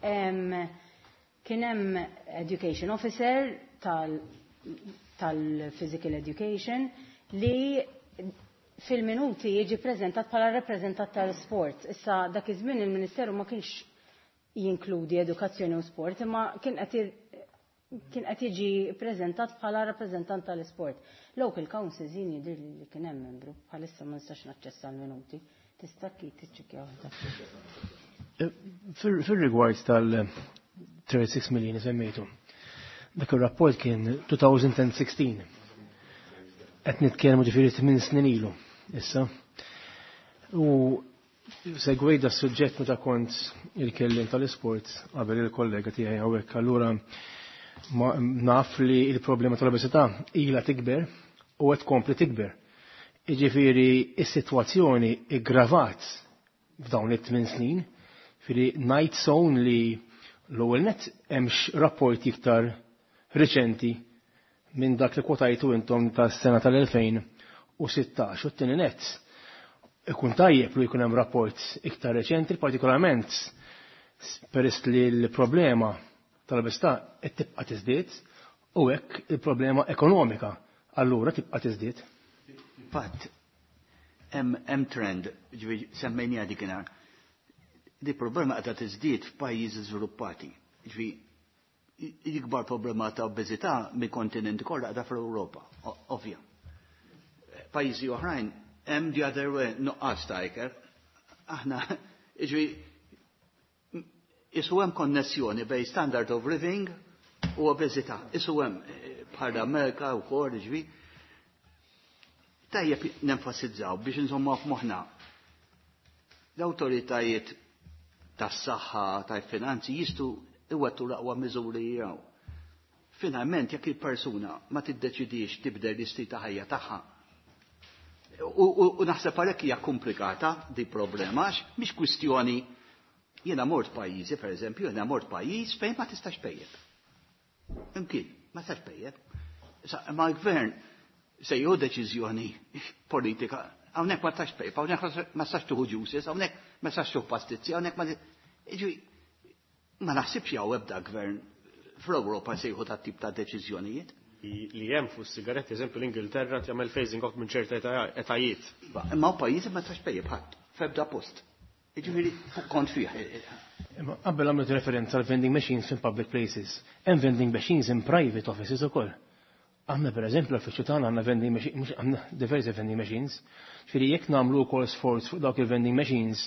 Kien hemm education officer tal-physical education li fil-minuti jiġi prezentat bħala rappreżentant tal-sport. Issa dak iż-żmien il-Ministeru ma kienx jinkludi edukazzjoni u sport, imma kien qed jiġi preżentat bħala rappreżentant tal-sport. Local councils jien jidhir li kien hemm membru, bħalissa ma nistax naċċessa l-minuti. Tista' kif tiċċekkja waħda. Fil-rigward tal-36 million semmejtu, dak il-rapport kien 2016. Qed nitkellmu ġifieri 8 snin ilu issa. U segwejt da suġġett meta kont il-kellim tal-isport qabel il-kollega tiegħi hawnhekk, allura naf li il-problema tal-obesità ilha tikber u qed tkompli tikber. Jiġifieri is-sitwazzjoni iggravat f'dawn it-8 snin, ġifieri ngħid sown li l-ewwel net hemmx rapporti iktar riċenti minn dak li kwotajtu intom tas-sena tal-2016 u t-tieni net ikun tajjeb li jkun hemm rapport iktar reċenti, partikolarment peress li l-problema tal-obesità qed tibqa' tiżdied u hekk il-problema ekonomika allura tibqa' tiżdied. Fatt, hemm trend, ġifieri semmejniha dikinhar. Di problema qiegħda tiżdied f'pajjiżi żviluppati. Ġifieri l-ikbar problema ta' obeżità mill-kontinenti kollha qiegħda fl-Ewropa, ovvja. Pajjiżi oħrajn hemm the other way, nuqqas ta' ikel. Aħna, ġifieri isu hemm konnessjoni bejn standard of living u obeżità. Isu hemm bħal Amerika wkoll, ġifieri. Tajjeb nenfasizzaw biex insomma f'moħħna. L-awtoritajiet tas-saħħa, tal-finanzi jistgħu iwettu l-aqwa miżuri jiraw. Finalment, jekk il-persuna ma tiddeċidix tibdel l-istil ta' ħajja tagħha. U naħseb għalhekk hija komplikata di problema, għax mhix kwistjoni jiena mort pajjiżi, per eżempju, jiena mort pajjiż fejn ma tistax tpejjep. Imkien, ma tistax tpejjep. Ma l-gvern se jieħu deċiżjoni politika, hawnhekk ma tistax tpejjep, hawnhekk ma tistax tieħu juices, hawnhekk ma tistax tieħu pastizzi, hawnhekk ma Ġifieri, ma naħsibx hawn ebda gvern fl-Ewropa se jieħu dat tip ta' deċiżjonijiet. Li hemm fuq sigaretti, eżempju l-Ingilterra tagħmel phasing off minn ċerta etajiet. Imma pajjiżi ma tistax tpejjep ħadd, f'ebda post. Jiġifieri fuq kont fih. Imma qabel għamlet referenza għal vending machines in public places. Hemm vending machines in private offices ukoll. Aħna per eżempju l-uffiċċju tagħna għandna vending machines, mhux għandna diversi vending machines. Ġifieri jekk nagħmlu wkoll sforz fuq dawk il-vending machines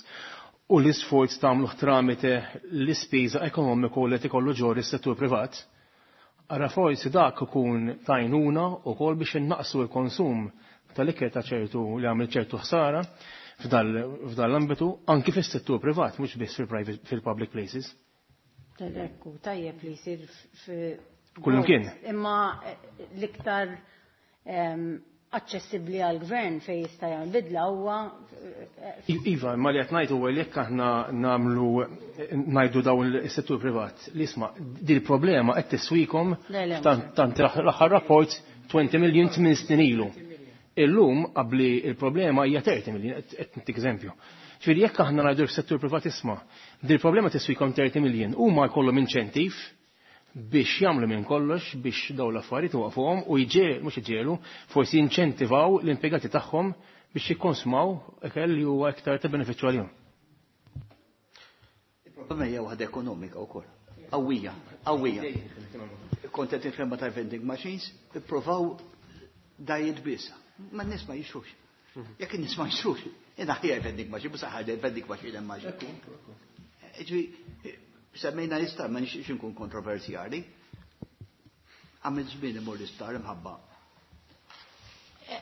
u l-isforz tagħmluh tramite l-ispiża ekonomiku li qed ikollu ġor is-settur privat, Ara forsi dak ikun tajnuna wkoll biex innaqsu l-konsum tal-ikel ta' ċertu li għamil ċertu ħsara f'dal l-ambitu anki fis-settur privat, mhux biss fil-public places. Ekku, tajjeb li jsir Kullimkien. Imma l-iktar aċċessibbli għall-gvern fejn jista' jagħmel bidla huwa Iva, imma li qed ngħid huwa li jekk aħna nagħmlu ngħidu dawn is-settur privat li isma' din il-problema qed tiswikom tant l-aħħar rapport 20 million 8 snin ilu. Illum qabli il-problema hija 30 million, qed ntik eżempju. Ġifieri jekk aħna ngħidu s-settur privat isma' din il-problema tiswikom 30 million huma jkollhom inċentiv biex jagħmlu minn kollox biex dawn l-affarijiet waqfuhom u jġiel mhux iġielu forsi jinċentivaw l-impjegati tagħhom biex jikkonsmaw ikel li huwa iktar ta' benefiċċju għalihom. Il-problema hija waħda ekonomika wkoll. Qawwija, qawwija. Kont qed nitkellem ta' vending machines, ippruvaw diet biss. Ma n-nies ma jixtrux. Jekk in-nies ma jixtrux, jiena ħija vending machine, mhux ħaġa vending machine hemm machine. Ġifieri, semmejna l-isptar, ma nixtieqx inkun kontroversjali. Għamil żmien imur l-isptar imħabba.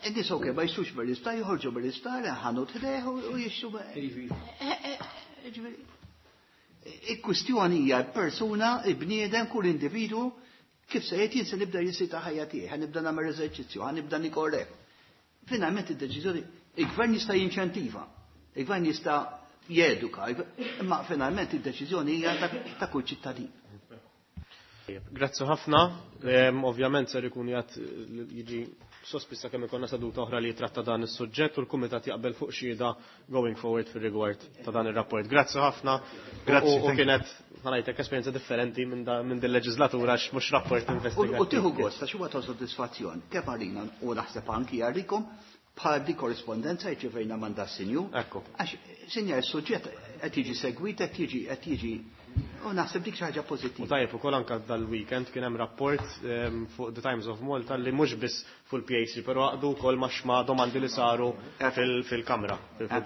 In-nies okej, ma jixtrux mill-isptar, joħorġu mill-isptar, ħanut ħdejh u jixtru. Ġifieri, il-kwistjoni hija persuna, il-bniedem, kull individu, kif se jgħid jien se nibda jisita ħajja tiegħi, ħa nibda nagħmel eżerċizzju, ħa nibda nikorrek. Finalment id-deċiżjoni, il-gvern jista' jinċentiva, il-gvern jista' jeduka, imma finalment id-deċiżjoni hija ta' kull ċittadin. Grazzi ħafna. Ovvjament ser ikun jgħat jiġi sospissa kemm ikollna seduta oħra li jitratta dan is-suġġett u l-kumitat jaqbel fuq xhieda going forward fir-rigward ta' dan ir-rapport. Grazzi ħafna. Grazzi, U thank you. kienet ħanajtek esperjenza differenti minn din leġislatura għax mhux rapport investigattiv. U tieħu gost għax huwa ta' soddisfazzjon. Kemm għalina u naħseb anki għalikom bħal di korrispondenza rċevejna mandat sinju. Ekku. Għax sinja s-suġġett qed jiġi segwit, qed jiġi qed jiġi u naħseb dik xi ħaġa pożittiva. U tajjeb ukoll anke dal-weekend kien hemm rapport fuq The Times of Malta li mhux biss fuq il-PAC, però għaqdu wkoll ma' xma domandi li saru fil-kamra,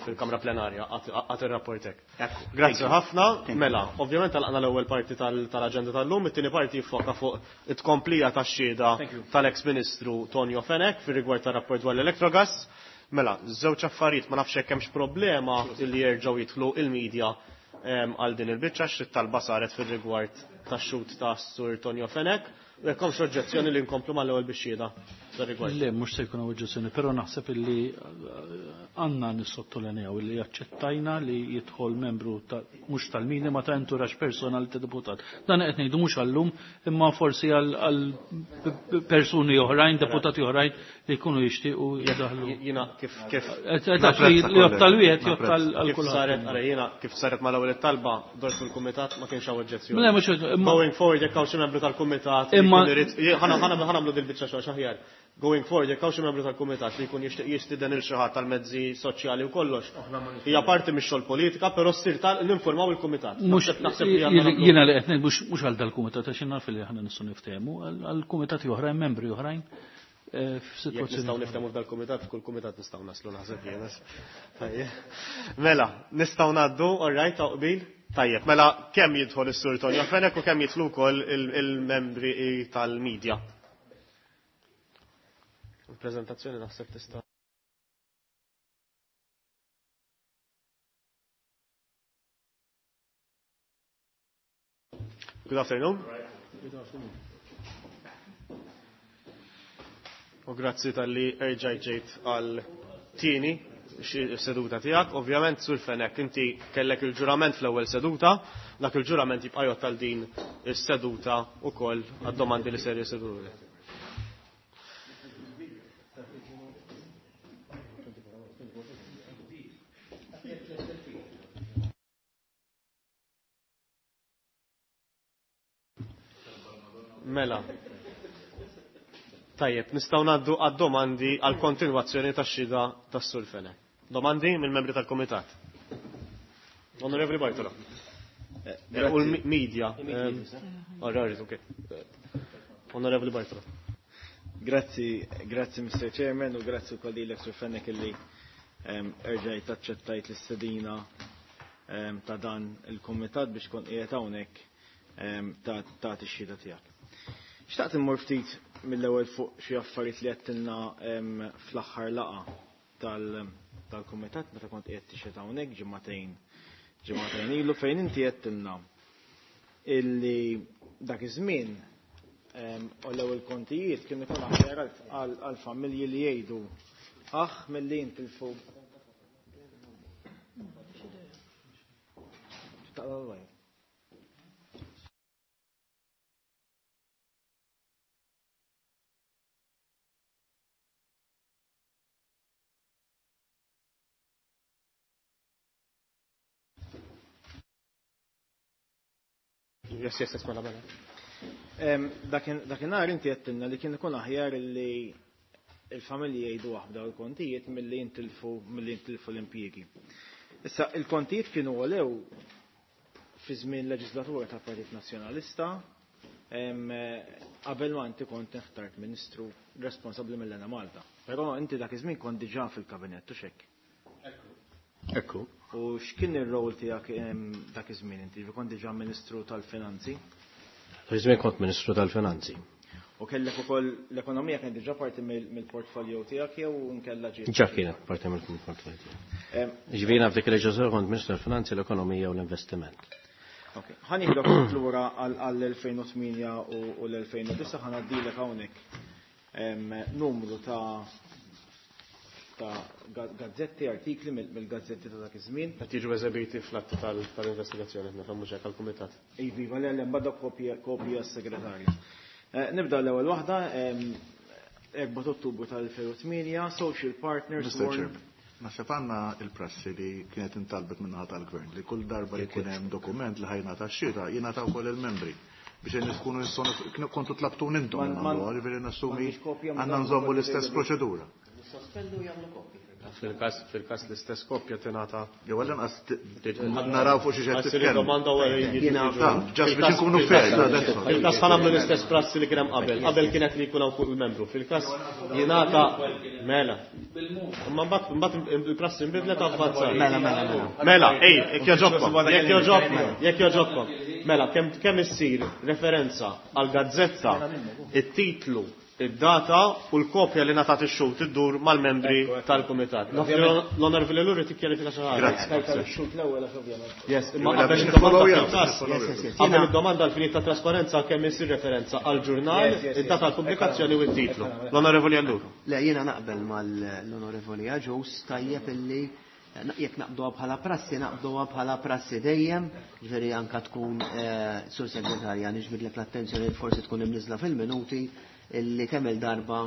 fil-kamra plenarja, għad ir-rapport hekk. Grazzi ħafna. Mela, ovvjament għalqna l-ewwel parti tal-aġenda tal-lum, it-tieni parti jiffoka fuq it-tkomplija tax-xhieda tal-ex-Ministru Tonio Fenech fir-rigward tar-rapport dwar l-Electrogas. Mela, żewġ affarijiet ma nafx hekk hemmx problema li jerġgħu jidħlu il-medja għal din il-biċċa xi talba saret fir-rigward tax-xut ta' Sur Tonio Fenech u jekk hemmx oġġezzjoni li nkomplu mal-ewwel bix-xhieda fir-rigward. Le, mhux se jkun hawn oġġezzjoni, però naħseb illi għandna nissottolinjaw illi aċċettajna li jidħol membru mhux tal-minima ma ta' entourage personali ta' deputat. Dan qed ngħidu mhux għallum imma forsi għal persuni oħrajn, deputati oħrajn li jkunu jixtiequ jiddaħlu. Jiena kif kif Li jottal wieħed jottal għal Kif kulħadd. saret, ara jiena kif saret mal-ewwel it-talba dort fil-kumitat ma kienx hawn oġġezzjoni. Le, mhux imma Going forward jekk hawn xi membru tal-kumitat li Imma jkun irid ħa nagħmlu dil-biċċa xogħol aħjar. Going forward jekk hawn xi membru tal-kumitat li jkun jixtieq jistieden il xi ħadd tal-mezzi soċjali u kollox. Hija parti mix-xogħol politika, però ssir tal ninformaw il-kumitat. Mhux Naħseb li għandna nagħmlu. jiena li qed ngħid mhux għal dal-kumitat għax naf li aħna nistgħu niftehmu, għall-kumitati oħrajn, membri oħrajn Jekk f'sitwazzjoni. nistgħu niftehmu f'dal-kumitat, f'kull kumitat nistgħu naslu naħseb jiena. Tajjeb. Mela, nistgħu ngħaddu, all right, ta' qbil? Tajjeb, mela kemm jidħol is-Sur Tonio Fenech u kemm jidħlu wkoll il-membri tal-medja. Il-preżentazzjoni naħseb tista' Good afternoon. Good afternoon. U grazzi tal-li erġajt ġejt għal tieni seduta tiegħek. Ovvjament Sur Fenech, inti kellek il-ġurament fl-ewwel seduta, dak il-ġurament jibqa' jgħod tal din is-seduta wkoll għad-domandi li ser jisiru. Mela. Tajjeb, nistgħu ngħaddu għad-domandi għal kontinwazzjoni tax-xhieda tas-Sur Fenech. Domandi mill-membri tal-Kumitat. Onorevoli Bartolo. U l-media. All right, okay. Onorevoli Bartolo. Grazzi, grazzi Mr. Chairman u grazzi wkoll lilek Sur Fenech illi erġajt aċċettajt l-istedina ta' dan il-kumitat biex kont qiegħed hawnhekk ta' tagħti x-xhieda tiegħek. Xtaqt immur ftit mill-ewwel fuq xi affarijiet li għedtilna fl-aħħar laqgħa tal-kumitat meta kont qiegħed tixhed hawnhekk ġimagħtejn ilu fejn inti għedtilna illi dak iż-żmien u l-ewwel kontijiet kien ikun aħjar għall-familji li jgħidu aħ milli jintilfu. Yes, yes, yes, mela, mela. Dakinhar inti għedtilna li kien ikun aħjar li il-familji jgħidu waħda u l-kontijiet milli jintilfu l-impjiegi. Issa, il-kontijiet kienu għolew fi żmien leġislatura ta' Partit Nazzjonalista, qabel ma inti kont inħtart Ministru responsabbli mill-Enemalta. Però inti dak iż-żmien kont diġà fil-kabinett, u x'hekk? Ekku. U x'kien ir-rol tiegħek dak iż-żmien inti? Kont diġà Ministru tal-Finanzi? Dak iż-żmien kont Ministru tal-Finanzi. U kellek ukoll l-ekonomija kienet diġà parti mill-portfolio tiegħek jew nkella ġiet? Ġa kienet parti mill-portfolio tiegħi. Ġifieri f'dik il-leġiżlatura kont Ministru tal-Finanzi, l-Ekonomija u l-Investiment. Ok, ħa nieħdok lura għall-2008 u l-2009, ħa ngħaddilek hawnhekk numru ta' gazzetti, artikli mill-gazzetti ta' dak iż-żmien. Qed jiġu eżebiti fl-atti tal-investigazzjoni, qed nifhem mhux hekk għall-kumitat. Iva, le, le, mbagħad kopja s-segretarju. Nibda l-ewwel waħda, 4 Ottubru tal-2008, Social Partners. Mr. Chairman, naħseb għandna il-prassi li kienet intalbet min-naħa tal-Gvern li kull darba li jkun hemm dokument li ħajnata x-xhieda jingħata wkoll il-membri biex in tkunu nistgħu kontu tlabtun intom nagħmlu, ġifieri nassumi għandna nżommu l-istess proċedura. Sospendu jagħmlu kopji. Fil-każ l-istess kopja tingħata. Jew għall-inqas naraw fuq xi qed titkellem. Domanda wara Ġast biex inkunu fair. Fil-każ ħa nagħmlu l-istess prassi li kien hemm qabel. Qabel kienet li jkun hawn fuq il-membru. Fil-każ jingħata mela. Imma mbagħad il-prassi nbidlet avvanzat. Mela, mela, mela. Mela, ej, jekk jogħġobkom, jekk jogħġobkom, jekk jogħġobkom. Mela, kemm issir referenza għal gazzetta, it-titlu, id-data u l-kopja li ngħatat ix-xhud iddur mal-membri tal-kumitat. L-Onorevoli Luri tikkjarifika xi ħaġa. Grazzi. Yes, imma qabel id-domanda id-domanda għal-finijiet ta' trasparenza kemm isir referenza għal-ġurnal, id-data tal-pubblikazzjoni u t-titlu. L-Onorevoli Alluru. Le, jiena naqbel mal-Onorevoli Agius, tajjeb illi jekk naqbduha bħala prassi, naqbduha bħala prassi dejjem, ġifieri anka tkun sur segretarja niġbidlek l-attenzjoni forsi tkun imniżla fil-minuti illi kemm il-darba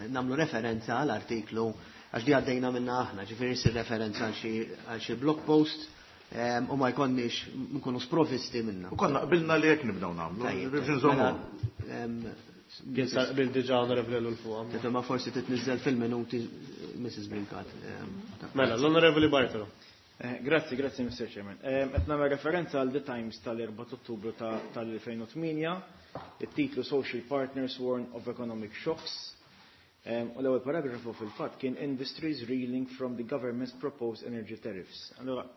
nagħmlu referenza għal artiklu għax di għaddejna minna aħna, ġifieri ssir referenza għal xi blog post u ma jkollniex nkunu sprovisti minna. U konna qbilna li hekk nibdew nagħmlu, biex nżommu. Kien sar qbil diġà Onorevoli Ellul fuqha. Tifhem ma forsi titniżżel fil-minuti Mrs. Brincat. Mela, l-Onorevoli Bartolo. Grazzi, grazzi Mr. Chairman. Qed nagħmel referenza għal The Times tal-4 Ottubru tal-2008, it-titlu Social Partners Warn of Economic Shocks. U l-ewwel paragrafu fil-fatt kien Industries Reeling from the Government's Proposed Energy Tariffs. Allora,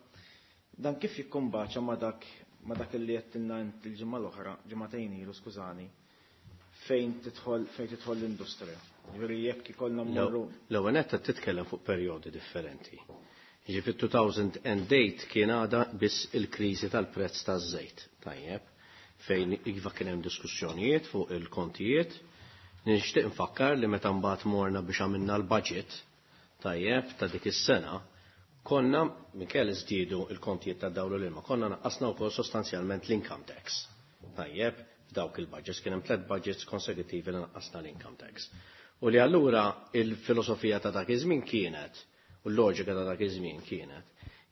dan kif jikkombaċa ma dak ma dak li għedtilna int il-ġimgħa l-oħra, ġimagħtejn ilu, skużani, fejn tidħol fejn tidħol l-industrija. Ġifieri jekk ikollna mmorru. L-ewwel nett qed titkellem fuq perjodi differenti. Ġifieri 2008 kien għadha biss il-kriżi tal-prezz taż-żejt, tajjeb, fejn iva kien hemm diskussjonijiet fuq il-kontijiet. Nixtieq nfakkar li meta mbagħad morna biex għamilna l-budget, tajjeb, ta' dik is-sena, konna minkejja li żdiedu l-kontijiet tad-dawl u l-ilma, konna naqqasna wkoll sostanzjalment l-income tax. Tajjeb, f'dawk il-budgets kien hemm tliet budgets konsekutivi li naqqasna l-income tax. U li allura il-filosofija ta' dak iż-żmien kienet, u l-loġika ta' dak iż-żmien kienet,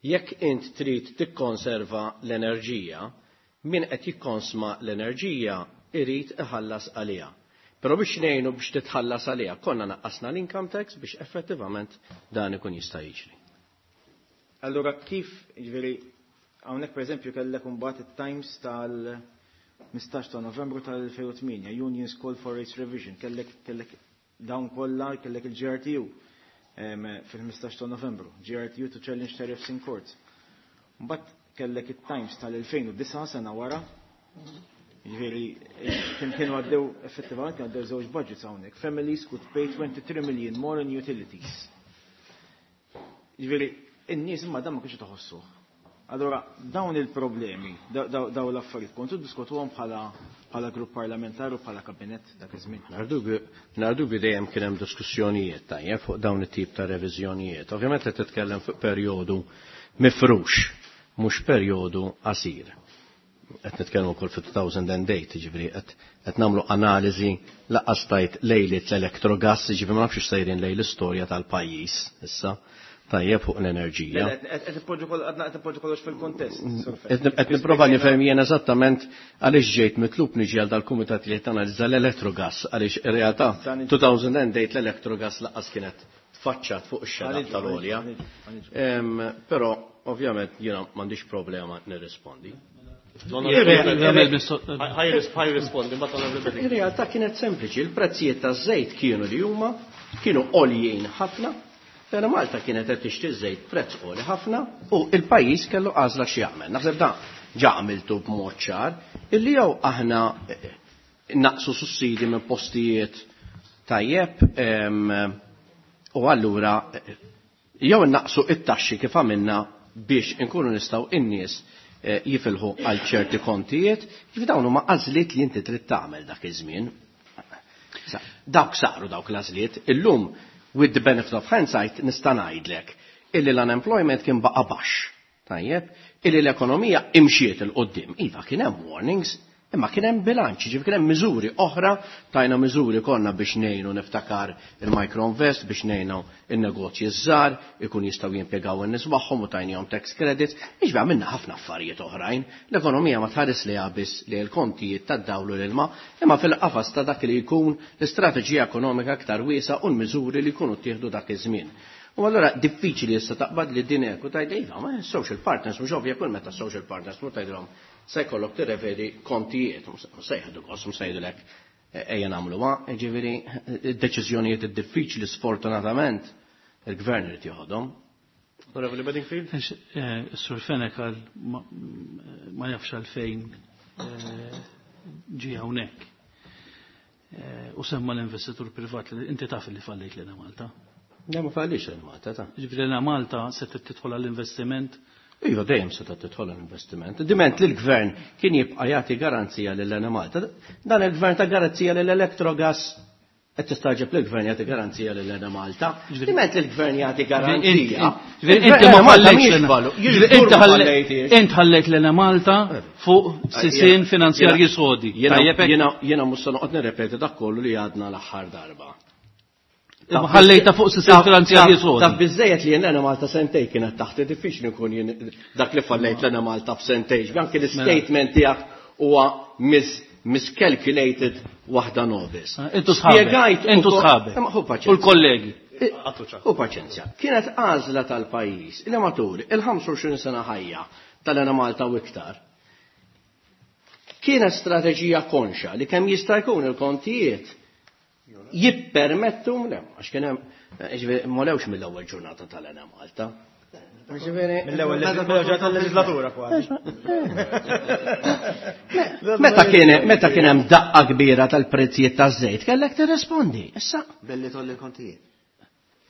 jekk int trid tikkonserva l-enerġija, min qed jikkonsma l-enerġija irid iħallas għaliha. Però biex ngħinu biex titħallas għaliha, konna naqqasna l-income tax biex effettivament dan ikun jista' jiġri. Allura kif, jiġifieri, hawnhekk pereżempju kellek imbagħad it-Times tal-15 ta' Novembru tal-2008, Unions Call for Rates Revision, kellek dawn kollha, kellek il-GRTU fil-15 ta' Novembru, GRTU to challenge tariffs in court. Mbagħad kellek it-Times tal-2009 sena wara, jiġifieri Kienu għaddew, effettivament kienu għaddew żewġ budgets hawnhekk. Families could pay 23 million more in utilities. Ġifieri, in-nies imma dan ma kienx taħossuh. Allora, dawn il-problemi, dawn l-affarijiet, kontu diskutuhom bħala grupp parlamentari u bħala kabinett dak iż-żmien. Mingħajr dubju dejjem kien hemm diskussjonijiet tajjeb fuq dawn it-tip ta' reviżjonijiet. Ovvjament qed titkellem fuq perjodu mifrux, mhux perjodu qasir. Qed nitkellmu wkoll fit-2008, jiġifieri qed nagħmlu analiżi laqqas tajt lejliet l-Electrogas, jiġifieri ma nafx sejrin lejn l-istorja tal-pajjiż issa. Tajjeb fuq l-enerġija. Qed ipoġġu kollox fil-kontest. Qed nipprova nifhem jien eżattament għaliex ġejt mitlub niġi għal dal-kumitat li qed analizza l-Electrogas għaliex ir-realtà 2008 l-Electrogas lanqas kienet tfaċċat fuq ix-xena tal-għolja. Però ovvjament jiena m'għandix problema nirrispondi. Ir-realtà kienet sempliċi, il-prezzijiet taż-żejt kienu li huma kienu għoljin ħafna. Lena Malta kienet qed tixtri żejt prezz għoli ħafna u il-pajjiż kellu għażla x'jagħmel. Naħseb dan ġa għamiltu b'mod ċar illi jew aħna naqsu sussidi minn postijiet tajjeb u allura jew naqsu it-taxxi kif għamilna biex inkunu nistgħu in-nies jifilħu għal ċerti kontijiet, kif dawn huma għażliet li inti trid tagħmel dak iż-żmien. Dawk saru dawk l-għażliet, illum with the benefit of hindsight nista' ngħidlek illi l-unemployment kien baqa' baxx. Tajjeb, illi l-ekonomija imxiet il quddiem. Iva kien hemm warnings, imma kien hemm bilanċ, ġifieri kien hemm miżuri oħra, tajna miżuri konna biex ngħinu niftakar il-microinvest, biex ngħinu in-negozji żgħar, ikun jistgħu jimpjegaw in-nies magħhom u tajnihom tax credits, biex għamilna ħafna affarijiet oħrajn. L-ekonomija ma tħares li biss li l-kontijiet tad-dawl u l-ilma, imma fil-qafas ta' dak li jkun l-istrateġija ekonomika aktar wiesgħa u l-miżuri li jkunu ttieħdu dak iż-żmien. U allura diffiċli issa taqbad li din hekk u tgħid iva, ma social partners mhux ovvja kull meta social partners mhux tgħidilhom se jkollok tirrevedi kontijiet, mhux se jieħdu gost, mhux se jgħidulek ejja nagħmluha, jiġifieri id-deċiżjonijiet id-diffiċli sfortunatament il-gvern irid joħodhom. Onorevoli Bedingfield? Sur Fenech għal ma jafx għalfejn ġie hawnhekk. U semma l-investitur privat li inti taf li fallejt lil Malta. Le, ma fallix lil Malta, ta. Ġifieri lil Malta se tidħol għall-investiment. Iva, dejjem se tidħol għall-investiment. Diment li l-gvern kien jibqa' jagħti garanzija lil Malta. Dan il-gvern ta' garanzija lil Electrogas qed tistaġeb li l-gvern jagħti garanzija lil Malta. Diment li l-gvern jagħti garanzija. Inti ma ħallejtx. Int ħallejt lil Malta fuq sisien finanzjarji sodi. Jiena mhux se noqgħod nirrepeti dak kollu li għadna l-aħħar darba. Ħallejta fuq sistema finanzjarji sodi. Taf biżejjed li jien Malta sentej kienet taħt, diffiċli nkun jien dak li fallejt l Malta f'sentej. Anke l-statement tiegħek huwa miscalculated waħda nobis. Intu sħabek. Intu sħabek. U l-kollegi. U paċenzja. Kienet għażla tal-pajjiż li matul il-25 sena ħajja tal-Ena Malta u iktar. Kienet strateġija konxa li kemm jista' jkun il-kontijiet jippermettu, le, għax kien hemm, ġifieri, ma lewx mill-ewwel ġurnata tal-Ena Malta. Ġifieri, Mill-ewwel ġurnata tal-leġislatura kważi. Meta kien hemm daqqa kbira tal-prezzijiet taż-żejt, kellek tirrispondi. Issa. Billi tolli l-kontijiet.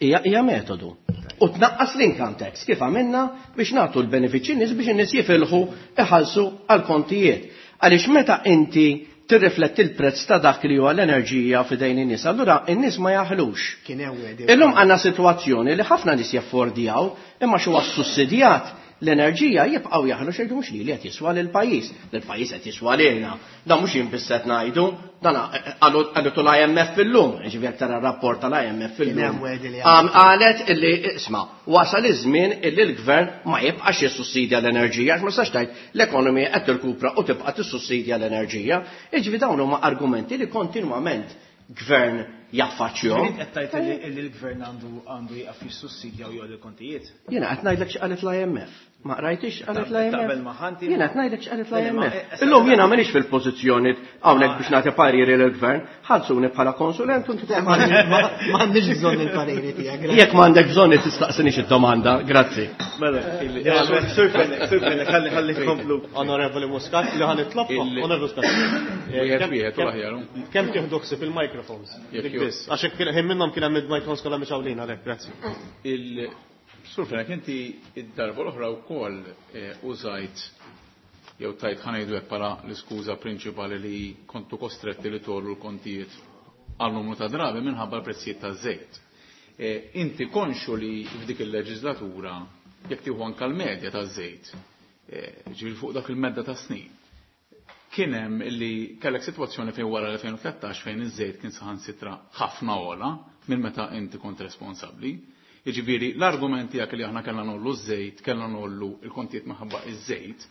Hija metodu. U tnaqqas l-income tax kif għamilna biex nagħtu l-benefiċċji nies biex in-nies jifilħu iħallsu għall-kontijiet. Għaliex meta inti tirrifletti l-prezz ta' dak li huwa l-enerġija f'idejn in-nies, allura in-nies ma jaħlux. Kien hemm wieħed. Illum għandna sitwazzjoni li ħafna nies jaffordjaw imma xi huwa sussidjat l-enerġija jibqgħu jaħlu xejn mhux li qed jiswa lill-pajjiż. Lill-pajjiż qed jiswa lilna. Dan mhux jien biss qed ngħidu, dan qalutu l-IMF illum, ġifieri jekk tara r-rapport tal-IMF Kien illum. hemm wieħed li Qalet illi isma' wasal iż-żmien illi l-gvern ma jibqax jissussidja l-enerġija, għax ma tistax tgħid l-ekonomija qed tirkupra u tibqa' tissussidja l-enerġija. Jiġifieri dawn huma argumenti li kontinwament gvern jaffaċċjahom. Qed tgħid li l-gvern għandu jieqaf jissussidja u jgħolli l-kontijiet? Jiena qed ngħidlek x'qalet l-IMF. Ma qrajtix x'qalet Taqbel l-IMF? magħha inti? Jiena qed ngħidlek x'qalet Le, ma- l-IMF. Illum jiena m'iniex fil-pożizzjoni hawnhekk biex nagħti pariri lill-gvern, ħallsuni bħala konsulent u inti M'għandniex bżonn il-pariri tiegħek. Jekk m'għandek bżonn tistaqsinix id-domanda, grazzi. Mela, Sur Fenech, Sur Fenech, ħalli ħalli tkomplu. Onorevoli Muscat, li ħa nitlobkom, Onorevoli Muscat. Wieħed wieħed u l-aħjar. Kemm tieħdu ħsieb il-microphones? Jekk Dik ju- biss. Għax hekk kien ħin minnhom kien hemm il-microphones kollha mixgħulin għalhekk, grazzi. Il-Sur Fenech, inti id-darba l-oħra wkoll użajt jew tajt ħa ngħidu hekk bħala l-iskuża prinċipali li kontu kostretti li tgħollu l-kontijiet għal numru ta' drabi minħabba l-prezzijiet taż-żejt. Inti konxu li f'dik il-leġislatura jekk tieħu anke l-medja taż-żejt, ġifieri fuq dak il-medda ta' snin, kien hemm li kellek sitwazzjoni fejn wara l-2013 fejn iż-żejt kien saħansitra ħafna ogħla minn meta inti kont responsabbli. Jiġifieri l-argument tiegħek li aħna kellna ngħollu ż-żejt, kellna ngħollu l-kontijiet minħabba iż-żejt,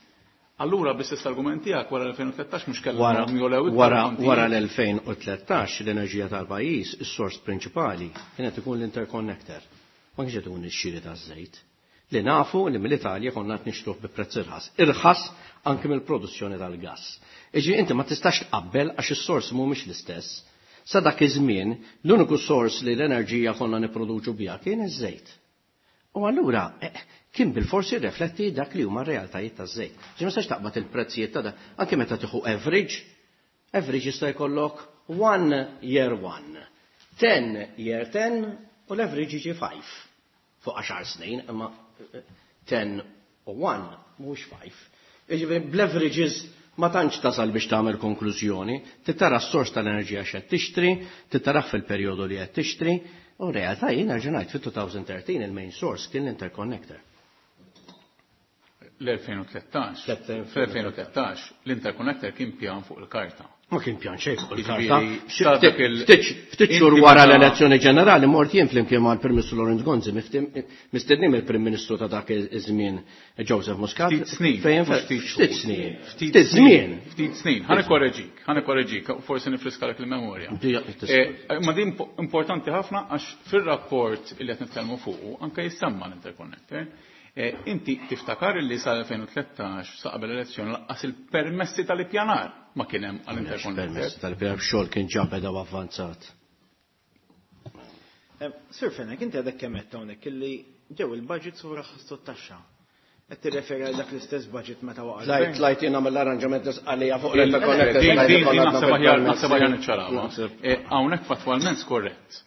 allura bl-istess argument tiegħek wara l-2013 mhux kellna Wara jogħlew iktar wara il-kontijiet. wara l-2013 l-enerġija tal-pajjiż, is-sors prinċipali kienet ikun l-interconnector. Ma kienx qed ikun ix-xiri taż-żejt. Li nafu li mill-Italja konna qed nixtruh bi prezz irħas. Irħas anke mill-produzzjoni tal-gass. Iġi inti ma tistax tqabbel għax is-sors mhumiex l-istess. Sa dak iż-żmien l-uniku sors li l-enerġija konna nipproduċu biha kien iż-żejt. U allura kien bil-forsi rifletti dak li huma r-realtajiet taż-żejt. Ġi ma tistax taqbad il-prezzijiet ta' dak, anke meta tieħu average, average jista' jkollok 1 year 1, 10 year 10 u l-average jiġi 5. Fuq 10 snin, imma 10 u 1 mhux 5. Jiġifieri bl-averages ma tantx tasal biex tagħmel konklużjoni, titara s-sors tal-enerġija x'qed tixtri, titara fil-perjodu li qed tixtri, u realtà jien nerġa' ngħid fit-2013 il-main source kien l-interconnector. L-2013, fl-2013 l-interconnector kien pjan fuq il-karta. Ma kien pjan xejn fuq il-karta. Jiġifieri, sa dak il- Ftit xhur inti wara meta- l-elezzjoni ġenerali mort jien flimkien mal-Prim Ministru Lawrence Gonzi, mistedni mill-Prim Ministru ta' dak iż-żmien Joseph Muscat. Ftit snin, Fejn mhux ftit xhur. Ftit snin. Ftit Ftit żmien. Ftit snin. Ħa nikkoreġik, ħa nikkoreġik, forsi nifriskalek il-memorja. Ma din importanti ħafna għax fir-rapport li qed nitkellmu fuqu anke jissemma l-interconnector. Inti tiftakar li sal-2013 sa qabel l-elezzjoni laqqas il-permessi tal-ippjanar ma kien hemm għall-interconnector. Permessi tal-ippjanar xogħol kien ġa beda u avvanzat. Sir Fenech, inti għadek kemm għedt hawnhekk illi ġew il-budget u raħħastu t-taxxa. Qed tirreferi għal dak l-istess budget meta waqa' Tlajt, l-gvern? tlajt jien nagħmel l-arranġament nisqalija fuq Il- l-interconnector. Din tlajt din ikollna naħseb aħjar bil-permessi. naħseb aħjar niċċarawha. Naħseb. Hawnhekk fattwalment skorrett.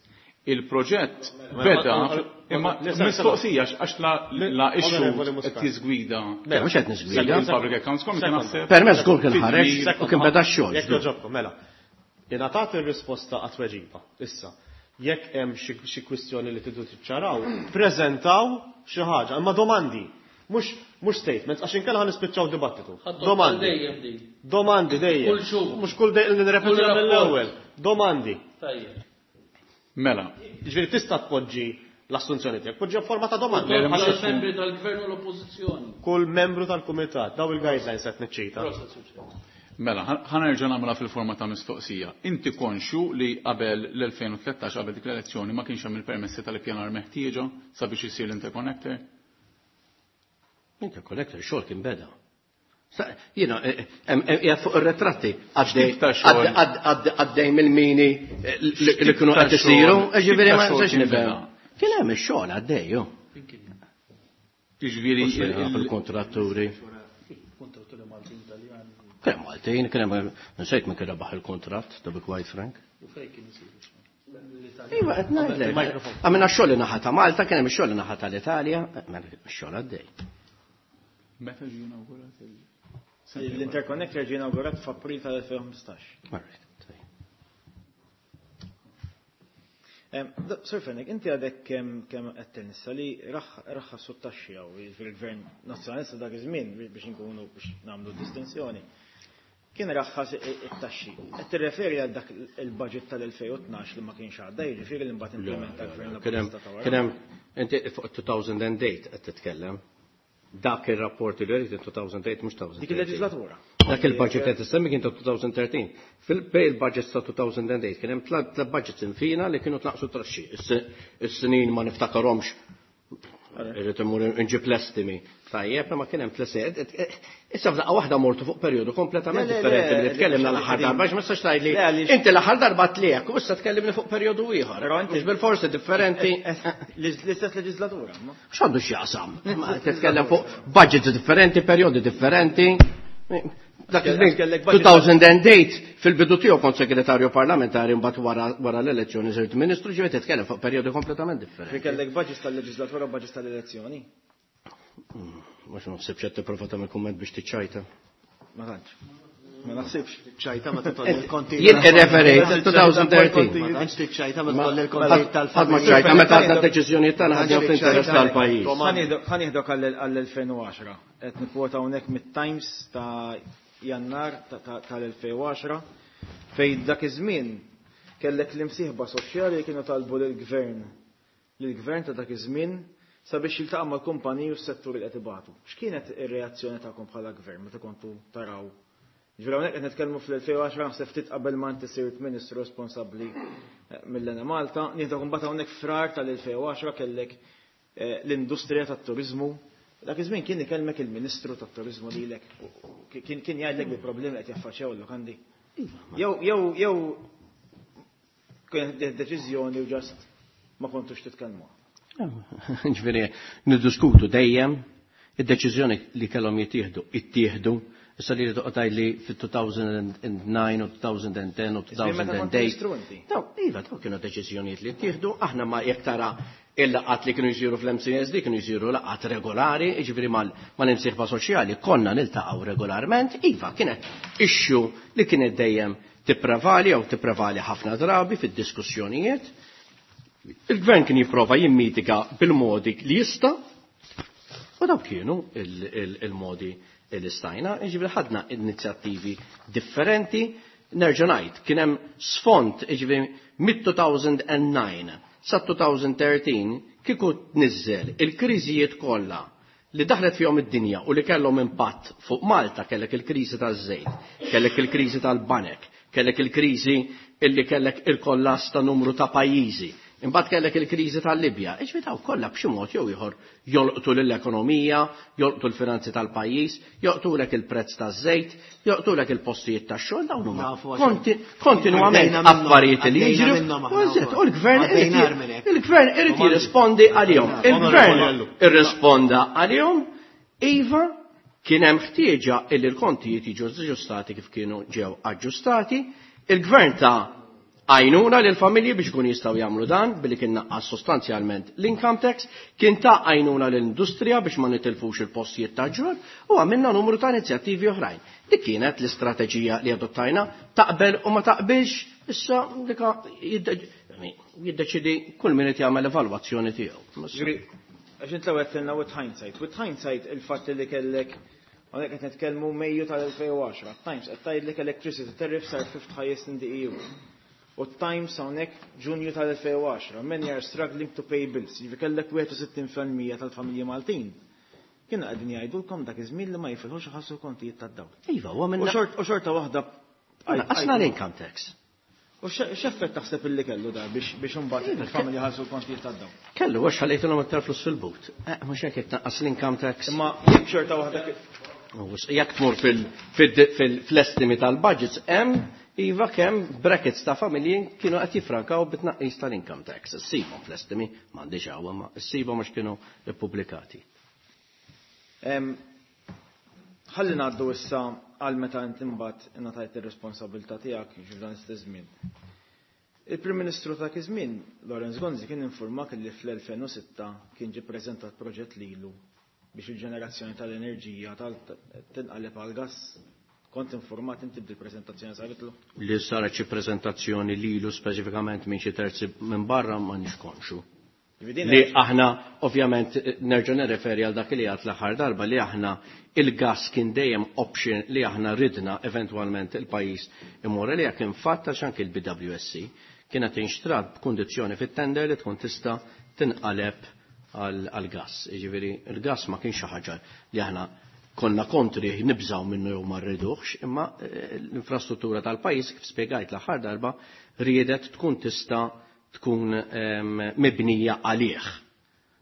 Il-proġett beda imma mistoqsija għax la issue Onorevoli qed Muscat. jiżgwida. Le, mhux qed niżgwida. Il-Public Accounts Committee naħseb. Permess żgur kien fid-dmir- ħareġ u kien beda x-xogħol. Jekk jogħġobkom, mela. Ingħatat ir-risposta għat-tweġiba. Issa, jekk hemm xi kwistjoni li tridu tiċċaraw, preżentaw xi ħaġa, imma domandi. Mhux statements, għax inkella ħa nispiċċaw dibattitu. Ħaddu Domandi. dejjem din. Domandi dejjem. Kull xhur. Mhux kull dejjem li nirrepeti Kull rapport. mill-ewwel. Domandi. Tajjeb. Mela. Ġifieri tista' tpoġġi l-assunzjoni tiegħek, poġġi forma ta' domanda. Le, mhux Kull membri tal-gvern u l-oppożizzjoni. Kull membru tal-kumitat, daw il-guidelines qed niċċita. Proset, Sur Mela, ħa nerġa' nagħmilha fil-forma ta' mistoqsija. Inti konxju li qabel l-2013, qabel dik l-elezzjoni, ma kienx hemm il-permessi tal-ippjanar meħtieġa sabiex isir l-interconnector? Interconnector xogħol kien beda. Jiena, qiegħed fuq ir-retratti X'tip ta' xogħol? għaddej mill-mini li kienu ta' qed isiru, xogħol? ġifieri ma X'tip ta' xogħol nistax kien nifhem. beda? Kien hemm ix-xogħol għaddej, ju. Jiġifieri il-kontratturi. Kontratturi Maltin Italjani. Kien hemm Maltin, kien hemm nsejt min kien rebaħ il-kontratt, to be quite frank. U fejn kien isiru? Iva, qed ngħidlek. Għamilna x-xogħol naħa ta' Malta, kien hemm ix-xogħol naħa tal-Italja, mela x-xogħol għaddej. Meta ġie inawgurat il- L-interconnector ġie inawgurat f'April tal-2015. Sir Fenech, inti għadek kemm qed tinsa li raħħasu t-taxxi hawn fil-Gvern Nazzjonalista dak iż-żmien biex inkunu biex nagħmlu distinzjoni. Kien raħħas it-taxxi. Qed tirreferi għal dak il-budget tal-2012 li ma kienx għadda, jiġifieri li mbagħad implementa l-Gvern Kien hemm Laburista ta' wara. kien hemm inti fuq 2008 qed titkellem. Dak ir-rapport li rrid 2008 mhux 2013. Dik il-leġislatura. Dak il-budget qed issemmi kien ta' 2013. Fil-bej il-budget ta' 2008 kien hemm tliet budgets infina li kienu tnaqsu traxxi. Is-snin ma niftakarhomx. Irrid immur inġib l-estimi. Tajjeb, ma kien hemm tliet. Issa f'daqqa waħda mortu fuq perjodu kompletament differenti li tkellimna l-aħħar darba, għax ma tistax tgħidli inti l-aħħar darba tliek u issa tkellimni fuq perjodu ieħor. Mhux bil-forsi differenti. L-istess leġislatura. X'għandu x'jaqsam? Titkellem fuq budgets differenti, perjodi differenti. Dak iż-żmien 2008 fil-bidu tiegħu kont segretarju parlamentari mbagħad wara l-elezzjoni sirt ministru, ġifieri titkellem fuq perjodi kompletament differenti. Fi kellek budgets tal-leġislatura u budgets tal-elezzjoni. Mhux naħseb x'qed tipprova tagħmel kumment biex tiċċajta. Ma tantx. Ma naħsibx. Ċajta ma titolli l-konti. Jien irreferejt 2013. Ma tantx tiċċajta ma titolli l-konti tal-familja. Ma ċajta meta għadna d-deċiżjonijiet tagħna ħadna fl-interess tal-pajjiż. Ħanieħdok għall-2010. Qed nikkwota hawnhekk mit-Times ta' Jannar tal-2010 fejn dak iż-żmien kellek l-imsieħba soċjali li kienu talbu lill-gvern lill-gvern ta' dak iż-żmien sabiex jiltaqa' mal-kumpaniji u s-settur li qed ibatu. X'kienet ir-reazzjoni tagħkom bħala gvern meta kontu taraw? Ġifieri hawnhekk qed nitkellmu fl-2010 naħseb ftit qabel ma inti sirt ministru responsabbli mill-Enemalta, nieħdok imbagħad hawnhekk frar tal-2010 kellek l-industrija tat-turiżmu. Dak iż-żmien kien ikellmek il-Ministru tat-Turiżmu lilek, kien jgħidlek bi problemi qed jaffaċċjaw l-lukandi. Jew jew jew kienet deċiżjoni u ġast ma kontux titkellmu. Ġifieri niddiskutu dejjem id-deċiżjoni li kellhom jittieħdu, ittieħdu. Issa li rridu qtajt li fit-2009 u 2010 u 2008. Daw, iva, daw kienu deċiżjonijiet li ttieħdu, aħna ma jekk tara il-laqgħat li kienu jsiru fl-MCSD kienu jsiru laqgħat regolari, jiġifieri mal-imsieħba soċjali konna niltaqgħu regolarment, iva kienet issue li kienet dejjem tipprevali jew tipprevali ħafna drabi fid-diskussjonijiet. Il-gvern kien jipprova jimmitiga bil-modi li jista' u dawk kienu il-modi li stajna, jiġifieri ħadna inizjattivi differenti, nerġa' ngħid, kien hemm sfond, jiġifieri mid-2009 sa 2013 kieku tniżżel il-kriżijiet kollha li daħlet fihom id-dinja u li kellhom impatt fuq Malta, kellek il-kriżi taż-żejt, kellek il-kriżi tal-banek, kellek il-kriżi illi kellek il-kollass ta' numru ta' pajjiżi, imbagħad kellek il-kriżi tal-Libja. Iġifieri daw kollha b'xi mod jew ieħor jolqtu lill-ekonomija, jolqtu l-finanzi tal-pajjiż, jolqtulek il-prezz taż-żejt, jolqtulek il-postijiet tax-xogħol, dawn huma kontinwament affarijiet li jiġru. U l-gvern il-gvern irid jirrispondi għalihom. Il-gvern irrisponda għalihom, iva kien hemm ħtieġa illi l-kontijiet jiġu aġġustati kif kienu ġew aġġustati, il-gvern ta' għajnuna lil familji biex ikun jistgħu jagħmlu dan billi kien naqqas sostanzjalment l-income tax, kien ta' għajnuna lill-industrija biex ma nitilfux il-postijiet ta' ġur u għamilna numru ta' inizjattivi oħrajn. Dik kienet l-istrateġija li adottajna, taqbel u ma taqbilx, issa dika jiddeċidi kull min qed jagħmel evalwazzjoni tiegħu. Għax int l-ewwel għedtilna with hindsight. With hindsight il-fatt li kellek hawnhekk qed nitkellmu Mejju tal-2010, Times qed tgħidlek electricity tariffs are fifth highest in the EU. U Times hawnhekk Ġunju tal-2010, many are struggling to pay bills. Jiġifieri kellek 61% tal-familji Maltin. Kienu qegħdin jgħidulkom dak iż-żmien li ma jifilħux iħallsu kontijiet tad-dawl. Iva, huwa minna. U xorta waħda Qasna l-income tax. U x'effett taħseb illi kellu da biex imbagħad il-familji ħallsu l-kontijiet tad-dawl? Kellu għax ħallejtilhom aktar flus fil-but. Mhux hekk jekk tnaqqas l-income tax. Imma jekk xorta waħda Jekk tmur fl-estimi tal-budgets hemm iva kemm brackets ta' familji kienu qed jifrankaw bit-tnaqqis tal-income tax. Issibhom fl-estimi, m'għandix hawn, ma issibhom għax kienu ippubblikati. Ħalli ngħaddu issa għal meta inti mbagħad ingħatajt ir-responsabilità tiegħek f'dan l-istess żmien. Il-Prim Ministru ta' iż-żmien, Lawrence Gonzi, kien informak li fl-2006 kien ġie ppreżentat proġett lilu biex il-ġenerazzjoni tal-enerġija tinqaleb għal gas. Kont informat inti bil-preżentazzjoni saritlu? Li saret xi preżentazzjoni lilu speċifikament minn xi terzi minn barra ma nix konxu. Li aħna ovvjament nerġa' nirreferi għal dak li għad l-aħħar darba li aħna il-gas kien dejjem option li aħna ridna eventwalment il-pajjiż imur li kien fatt għax anke il-BWSC kienet inxtrat b'kundizzjoni fit-tender li tkun tista' tinqaleb għall-gass. Jiġifieri il-gass ma kienx xi ħaġa li aħna konna kontri nibżgħu minnu jew ma rriduhx, imma l-infrastruttura tal-pajjiż kif spjegajt l-aħħar darba riedet tkun tista' tkun mibnija għalih.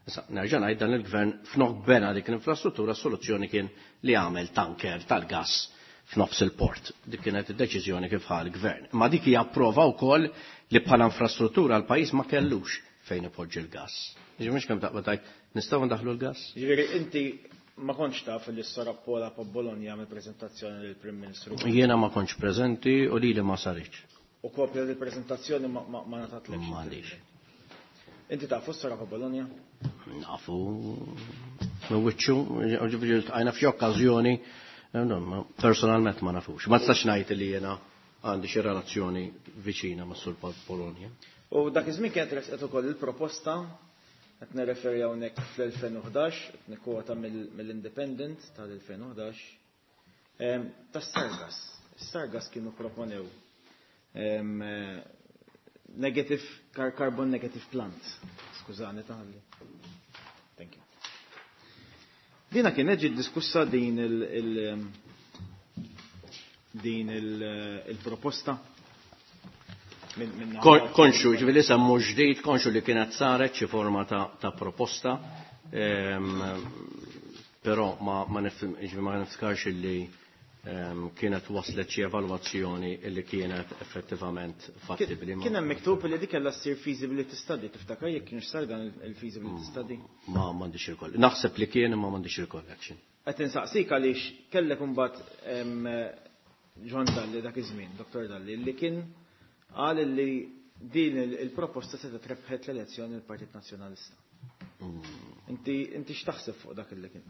Issa nerġa' ngħid dan il-gvern f'nok bena dik l-infrastruttura s-soluzzjoni kien li għamel tanker tal-gass f'nofs il-port. Dik kienet id-deċiżjoni kif ħa l-gvern. Imma dik hija prova wkoll li bħala infrastruttura l-pajjiż ma kellux fejn ipoġġi l-gass. Jiġifieri mhux kemm taqbad tgħid nistgħu ndaħħlu l-gass? Jiġifieri inti ma kontx taf li s-Sora Pola Bologna għamel preżentazzjoni lill-Prim Ministru? Jiena ma kontx preżenti u lili ma saritx. U kopja del-preżentazzjoni ma ngħatatlekx? M'għandix. Inti tafu s-Sora Bologna? Nafu minn wiċċu, ġifieri ltqajna f'xi okkażjoni, personalment ma nafux. Ma nistax ngħid li jiena għandi xi relazzjoni viċina ma' Sur Bologna. U dak iż-żmien kienet resqet ukoll il-proposta, qed nirreferi hawnhekk fl-2011, qed nikkwota mill-Independent tal-2011, tas-Sargas. Is-Sargas kienu proponew negative carbon negative plant. Skużani taħalli. Thank you. Dina kienet ġiet diskussa din il-proposta. Konxu, ġifieri semmu ġdid, konxu li kienet saret xi forma ta' proposta, però ma niftakarx li kienet waslet xi evalwazzjoni li kienet effettivament fattibbli. Kien hemm miktub li dik kellha ssir feasibility study, tiftakar jekk kienx sar dan il-feasibility study? Ma m'għandix il-koll. Naħseb li kien imma m'għandix il-collection. Qed insaqsik għaliex kellek imbagħad John Dalli dak iż-żmien, Dr. Dalli, li kien qal li din il-proposta se trebħet l-elezzjoni l-Partit Nazzjonalista. Inti x'taħseb fuq dak li kien?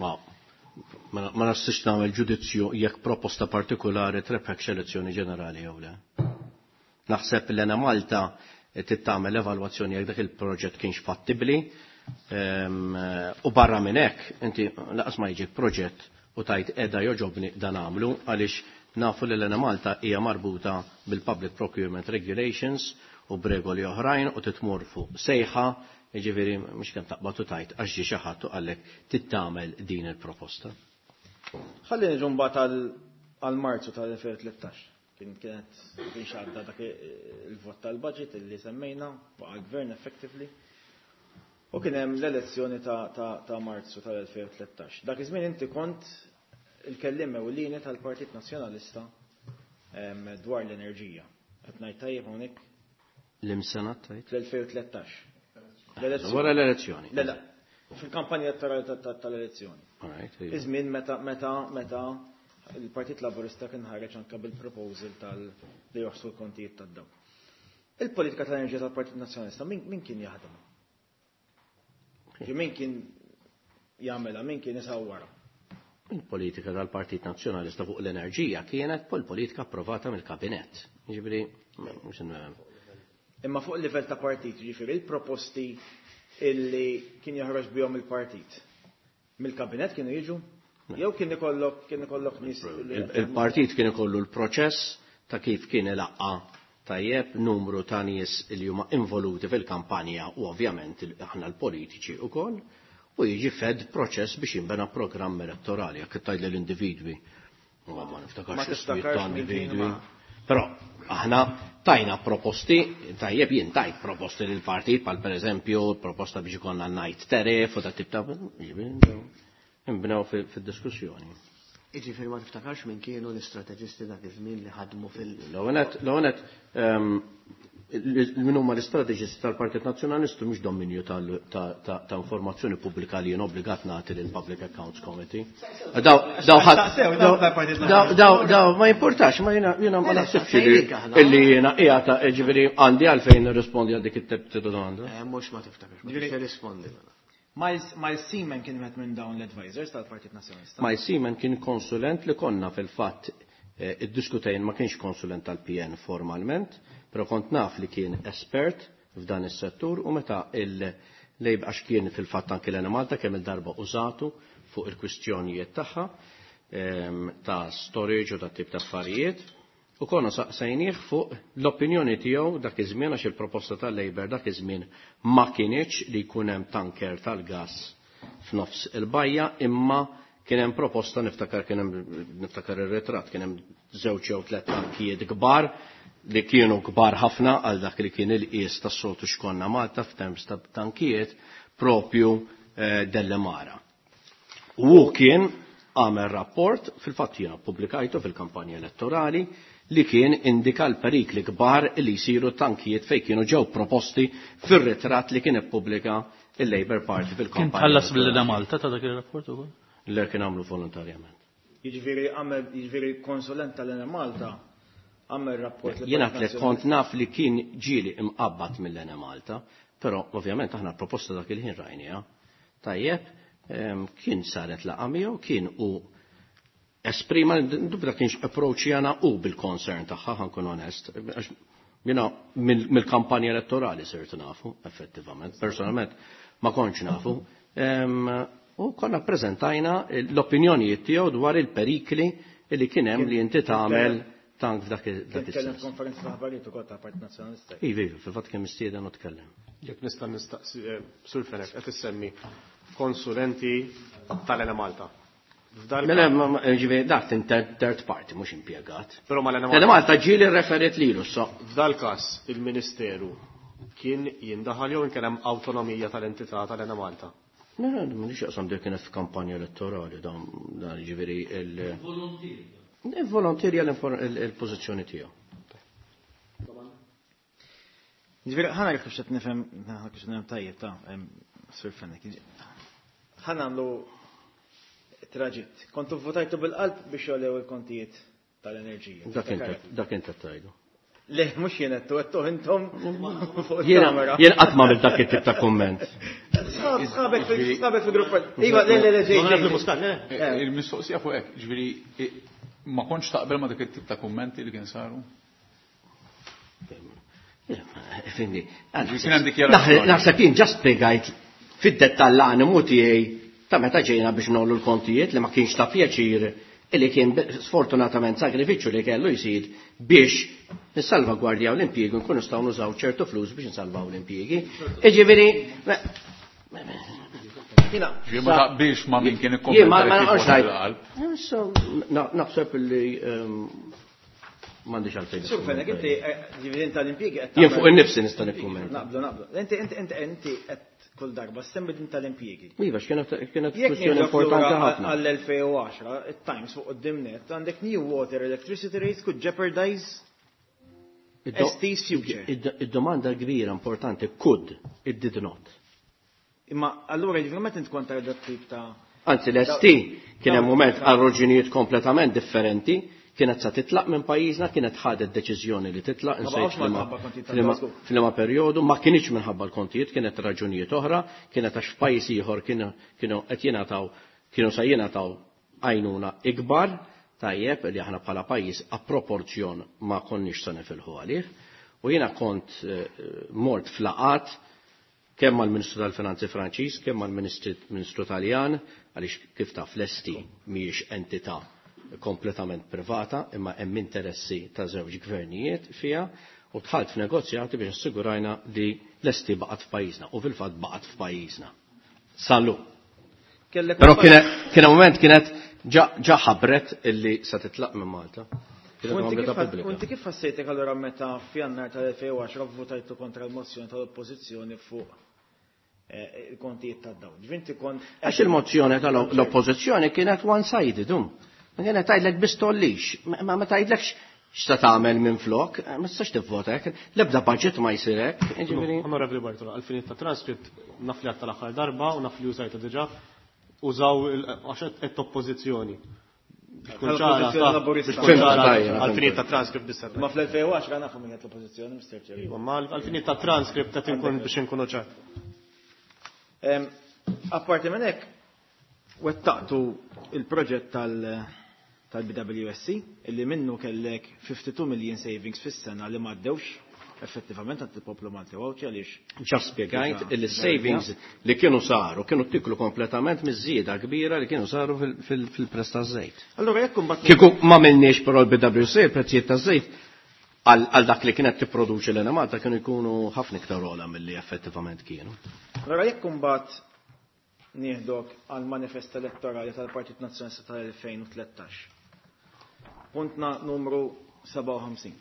Ma nistax nagħmel ġudizzju jekk proposta partikolari trebħek elezzjoni ġenerali jew le. Naħseb li Enemalta trid tagħmel evalwazzjoni jekk dak il-proġett kienx fattibbli, u barra minn hekk inti laqas ma jiġik proġett u tajt qiegħda joġobni dan għamlu għaliex nafu li l-Enemalta hija marbuta bil-Public Procurement Regulations u b'regoli oħrajn u titmur fuq sejħa. Jiġifieri mhux kemm taqbad u tajt għax ġie xi ħadd u qallek tittamel din il-proposta. Ħalli niġu mbagħad għal Marzu tal-2013. Kien kienet kien x'għadda dak il-vot tal-budget illi semmejna baqa' l-gvern effectively. U kien hemm l-elezzjoni ta' Marzu tal-2013. Dak iż-żmien inti kont il-kelliem ewlieni tal-Partit Nazzjonalista dwar l-enerġija. Qed ngħid tajjeb hawnhekk? L-imsena tajt? Fl-2013. Wara l-elezzjoni. Le, le, fil-kampanja elettorali tal-elezzjoni. Iż-żmien meta il-Partit Laburista kien ħareġ anke bil-proposal tal li joħsu l-kontijiet tad-dawl. Il-politika tal-enerġija tal-Partit Nazzjonalista min kien jaħdem? Min kien jagħmilha, min kien isawwarha? Il-politika tal-Partit Nazzjonalista fuq l-enerġija kienet pol-politika approvata mill-Kabinett. Jiġifieri, mhux Imma fuq il-livell ta' partit, jiġifieri il-proposti illi kien joħroġ bihom il-partit. Mill-kabinett kienu jiġu? Jew kien ikollok nies li Il-partit kien ikollu l-proċess ta' kif kien ilaqqa tajjeb numru ta' nies li huma involuti fil-kampanja u ovvjament aħna l-politiċi wkoll, u jiġi fed proċess biex jinbena programm elettorali, jekk tgħid lill-individwi. Ma niftakarx Ma ismijiet tiftakarx ta' min kien individwi. ma- Però aħna tajna proposti, tajjeb jien tajt proposti lil partit, pal per eżempju proposta biex ikollna night tariff u ta' tip ta' jiġifieri, nbnew fid-diskussjoni. Jiġifieri ma tiftakarx min kienu l-istrateġisti dak iż-żmien li ħadmu fil- L-ewwel min huma l-istrateġisti tal-Partit Nazzjonalistu mhux dominju ta' informazzjoni pubblika li jien obbligat nagħti lil Public Accounts Committee. Daw ma importax, ma jiena ma naħsibx illi jiena qiegħed jiġifieri għandi għalfejn nirrispondi għal dik it-tip ta' domanda. Mhux ma tiftakarx, ma tirrispondi. Miles Seaman kien wieħed minn dawn l-advisors tal-Partit Nazzjonalista. Miles Seaman kien konsulent li konna fil-fatt iddiskutejn, ma kienx konsulent tal-PN formalment, però kont naf li kien espert f'dan is-settur u meta il-lejb għax kien fil-fatt anke l-Enemalta kemm il-darba użatu fuq il-kwistjonijiet tagħha ta' storage u ta' tip ta' affarijiet. U konna saqsejnieh fuq l-opinjoni tiegħu dak iż-żmien, għax il-proposta tal-Labour dak iż-żmien ma kinitx li jkun hemm tanker tal-gass f'nofs il-bajja, imma kien hemm proposta, niftakar kien hemm, niftakar ir-ritratt, kien hemm żewġ jew tliet tankijiet kbar li kienu kbar ħafna għal dak li kien il-qies tas-soltu x'konna Malta f'terms ta' tankijiet propju Dellemara. U hu kien għamel rapport, fil-fatt jiena ppubblikajtu fil-kampanja elettorali, li kien indika l-perikli kbar li jsiru tankijiet fejn kienu ġew proposti fir-ritratt li kien ippubblika il-Labour Party fil-kampanja. Kien tħallas mill-Enemalta ta' dak ir-rapport ukoll? Le, kien għamlu volontarjament. Jiġifieri għamel, jiġifieri konsulent tal-Enemalta għamel rapport li Jiena tliet kont naf li kien ġieli imqabbad mill-Enemalta, però ovvjament aħna proposta dak il-ħin rajniha. Tajjeb, kien saret laqgħa miegħu, kien u esprima, dubra kienx approach jana u bil-concern tagħha, ħankun onest, għax jiena mill-kampanja elettorali sirt nafu, effettivament, personalment ma kontx nafu. U konna prezentajna l-opinjonijiet tiegħu dwar il-perikli li kien hemm li inti tagħmel tank f'dak Kien is-sens. konferenza ta' aħbarijiet ukoll ta' Partit Nazzjonalista. Iva, iva, fil-fatt kien mistieden u tkellem. Jekk nista' nistaqsi, Sur Fenech, qed issemmi konsulenti tal-Enemalta. F'dal Mela, ġifieri, dak third party, mhux impjegat. Però ma l-Enemalta. L-Enemalta ġieli referit lilu, so. F'dal każ il-Ministeru kien jindaħal jew kien hemm awtonomija tal-entità tal-Enemalta? No, no, m'għandix jaqsam dik kienet f'kampanja elettorali, dan ġifieri il- Volontier. Volontier il-pożizzjoni tiegħu. Ġifieri, ħa nara kif qed nifhem, ħa kif qed nifhem tajjeb ta' Sur Fenech. Ħa nagħmlu traġitt. Kontu votajtu bil-qalb biex jogħlew il-kontijiet tal-enerġija. Dak int qed tgħidu. Le, mhux jien qed għedtu intom fuq Jiena il-kamera. qatt ma għamilt dak it-tip ta' kumment. Sħabek fil-grupp. Iva, le, le, le, ġej, ġej. Muscat, le. Il-mistoqsija fuq hekk, ġifieri, ma kontx taqbel ma dak it-tip ta' kummenti li kien saru? Fimni, Ġifieri kien hemm dikjarazzjoni. naħseb jien ġa spjegajt fid-dettall l-animu tiegħi ta' meta ġejna biex nollu l-kontijiet li ma kienx ta' pjaċir illi kien sfortunatament sakrifiċċju li kellu jsir biex nissalvagwardjaw l-impjiegi u nkunu nistgħu nużaw ċertu flus biex nsalvaw l-impjiegi. Jiġifieri, Ġifieri ma taqbilx ma' min kien Jien ma ikkommenta li naqgħodx kien ngħid. bil-qalb. So, naħseb li m'għandix għalfejn. Sur Fenech, inti, ġifieri tal-impjiegi qed Jien fuq tagħmel- innifsi nista' nikkummenta. Naqblu, naqblu. Inti, inti, inti, inti qed kull darba semmi din tal-impjiegi. Iva, x'kienet Jekk kwestjoni nieħdu importanti lura ħafna. għall-2010, it-Times fuq quddiem net, għandek new water electricity rates could jeopardize ST's future. Id-domanda kbira importanti, could, it did not. Imma allura ġifieri meta int kont tara tip ta' Anzi, l-ST kien hemm mument għal raġunijiet kompletament differenti, kienet sa titlaq minn pajjiżna, kienet ħadet deċiżjoni li titlaq, Ma insejt baqgħux minħabba kontijiet tal-Glasgow. f'liema perjodu, ma kienx minħabba l-kontijiet, kienet raġunijiet oħra, kienet għax f'pajjiż ieħor kienu qed jingħataw, kienu sa jingħataw għajnuna ikbar, tajjeb li aħna bħala pajjiż a proporzjon ma konniex sa nifilħu għalih. U jiena kont mort flaqat kemm mal-Ministru tal-Finanzi Franċiż, kemm mal-Ministru Taljan, għaliex kif taf l-ST mhijiex entità kompletament privata, imma hemm interessi ta' żewġ gvernijiet fiha, u dħalt f'negozjati biex assigurajna li l-ST baqgħet f'pajjiżna, u fil-fatt baqgħet f'pajjiżna. Sallu. Kellek Però un- kien moment kienet ġa ħabret illi se titlaq minn Malta. Kienet U inti għamlita pubblika. inti kif ħassejtek allura meta f'Jannar tal-2010 votajtu kontra l-mozzjoni tal-Oppożizzjoni fuq il-kontijiet tad-dawl? Ġifieri inti kont Għax il-mozzjoni tal-Oppożizzjoni kienet one-sided, um. Ma kienet tgħidlek biss tollix, ma tgħidlekx x'ta tagħmel minn flok, ma tistax tivvota hekk, l-ebda budget ma jsir hekk, jiġifieri. Onorevoli Bartolo, għall-finijiet ta' transcript naf li għadt tal-aħħar darba u naf li użajta diġà, użaw għax qed oppożizzjoni. Biex tkun ċara, L-oppożizzjoni ta' laburista. biex tkun ċara, Fimta, tajja, għall-finijiet ta' transcript biss. Ma fl-2010 nafu min qed l-oppożizzjoni, Mister Chair. Iva, ma għall-finijiet ta' transcript qed inkun biex inkunu ċar. Apparti minn hekk, wettaqtu il-proġett tal-BWSC, illi minnu kellek 52 million savings fis-sena li m'għaddewx. effettivament għand il-poplu Malti u Għawdxi għaliex Ġa spjegajt li savings li kienu saru kienu ttiklu kompletament miż-żieda kbira li kienu saru fil-prezz taż-żejt. Allura jekk imbagħad Kieku ma minniex però l-BWC il-prezzijiet taż-żejt għal dak li kienet tipproduċi l-Enemalta kienu jkunu ħafna iktar ogħla milli effettivament kienu. Allura jekk imbagħad nieħdok għal manifest elettorali tal-Partit Nazzjonalista tal-2013. Puntna numru 57.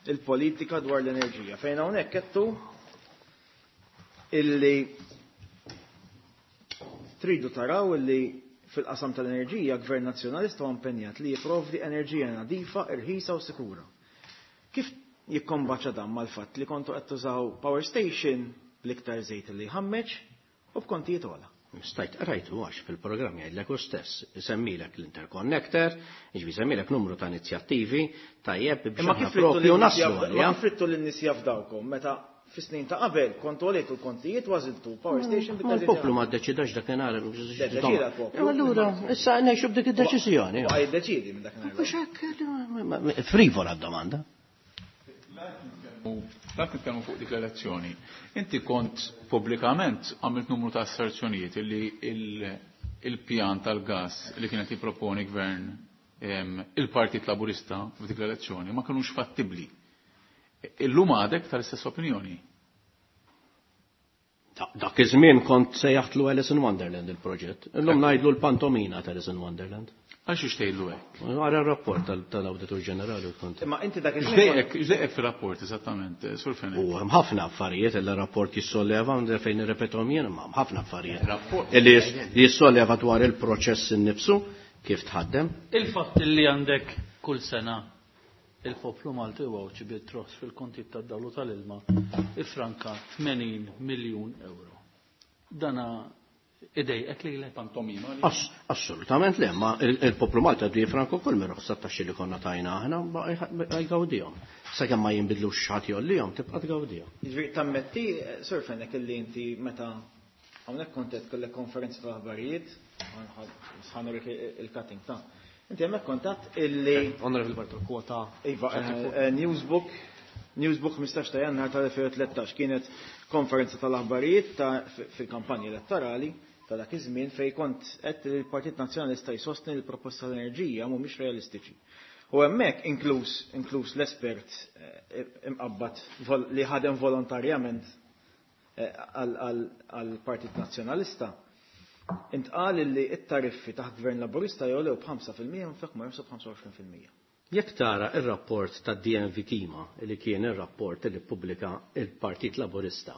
Il-politika dwar l-enerġija. Fejn hawnhekk kettu illi tridu taraw illi fil-qasam tal-enerġija Gvern Nazzjonalista huwa impenjat li jipprovdi enerġija nadifa, irħisa u sikura. Kif jikkombaċa dan mal-fatt li kontu qed tużaw power station bl-iktar żejt li jħammeġ u b'kontijiet ogħla? Stajt rajtu għax fil-programm jgħidlek u stess, isemmilek l-interconnector, jiġifieri jsemmilek numru ta' inizjattivi tajjeb biex Imma aħna kif rittu propju lin-nies naslu jafdaw- għalija. ma kif rittu lin-nies jafdawkom meta fis-snin ta' qabel kontu għolejtu l-kontijiet u għażiltu power station Ma l-poplu ma ddeċidax dakinhar. Deċida l-poplu. Allura, issa ngħixu b'dik id-deċiżjoni. Baqa' jiddeċiedi minn dakinhar. Mhux hekk, frivola d-domanda. Dak nitkellmu fuq dik l-elezzjoni. Inti kont pubblikament għamilt numru ta' asserzjonijiet illi il-pjan tal-gas li kienet jipproponi gvern il-Partit Laburista f'dik l-elezzjoni ma kinux fattibbli. Illum għadek tal-istess opinjoni. Dak iż-żmien kont sejjaħtlu Alice in Wonderland il-proġett. Illum ngħidlu l-pantomina ta' Alice in Wonderland. Għal xiex tgħidlu hekk? Għara r-rapport tal-Awditur Ġenerali u kont. Imma inti dak iż-żmien X'dejqek x'dejqek fir-rapport eżattament, Sur Fenech? U hemm ħafna affarijiet li rapport jissolleva minn fejn nirrepetom jien, imma hemm ħafna affarijiet. Rapport. Li jissolleva dwar il-proċess innifsu kif tħaddem. Il-fatt li għandek kull sena il-poplu Malti u Għawdxi bit-tross fil-kontijiet tad-dawlu tal-ilma ifranka 80 miljun euro. Dana idejqek lilek? Pantomima li- Assolutament le, ma il-poplu Malti għadu jifranku kull mir ruħsa taxxi li konna tajna aħna, ba' jgawdihom. Sakemm ma jinbidlux xi ħadd jgħollihom, tibqa' tgawdihom. Jiġifieri tammetti, Sur Fenech, illi inti meta hawnhekk kont qed kellek konferenza tal-aħbarijiet, ħanurik il-cutting ta'. Inti hemmhekk kont illi Onorevoli Bartolo, kwota. Iva, Newsbook, Newsbook 15 ta' Jannar tal-2013 kienet konferenza tal-aħbarijiet fil-kampanja elettorali ta' dak iż-żmien fejn kont qed li l-Partit Nazzjonalista jsostni li l-proposta tal-enerġija mhumiex realistiċi. U hemmhekk inkluż l-espert imqabbad li ħadem volontarjament għall-Partit Nazzjonalista, intqal li t-tariffi taħt Gvern Laburista jogħlew b'ħamsa fil-mija minflok ma jonqsu b'ħamsa u għoxrin fil-mija. Jekk tara ir-rapport ta' DNV Kima, li kien ir-rapport li ppubblika il-Partit Laburista,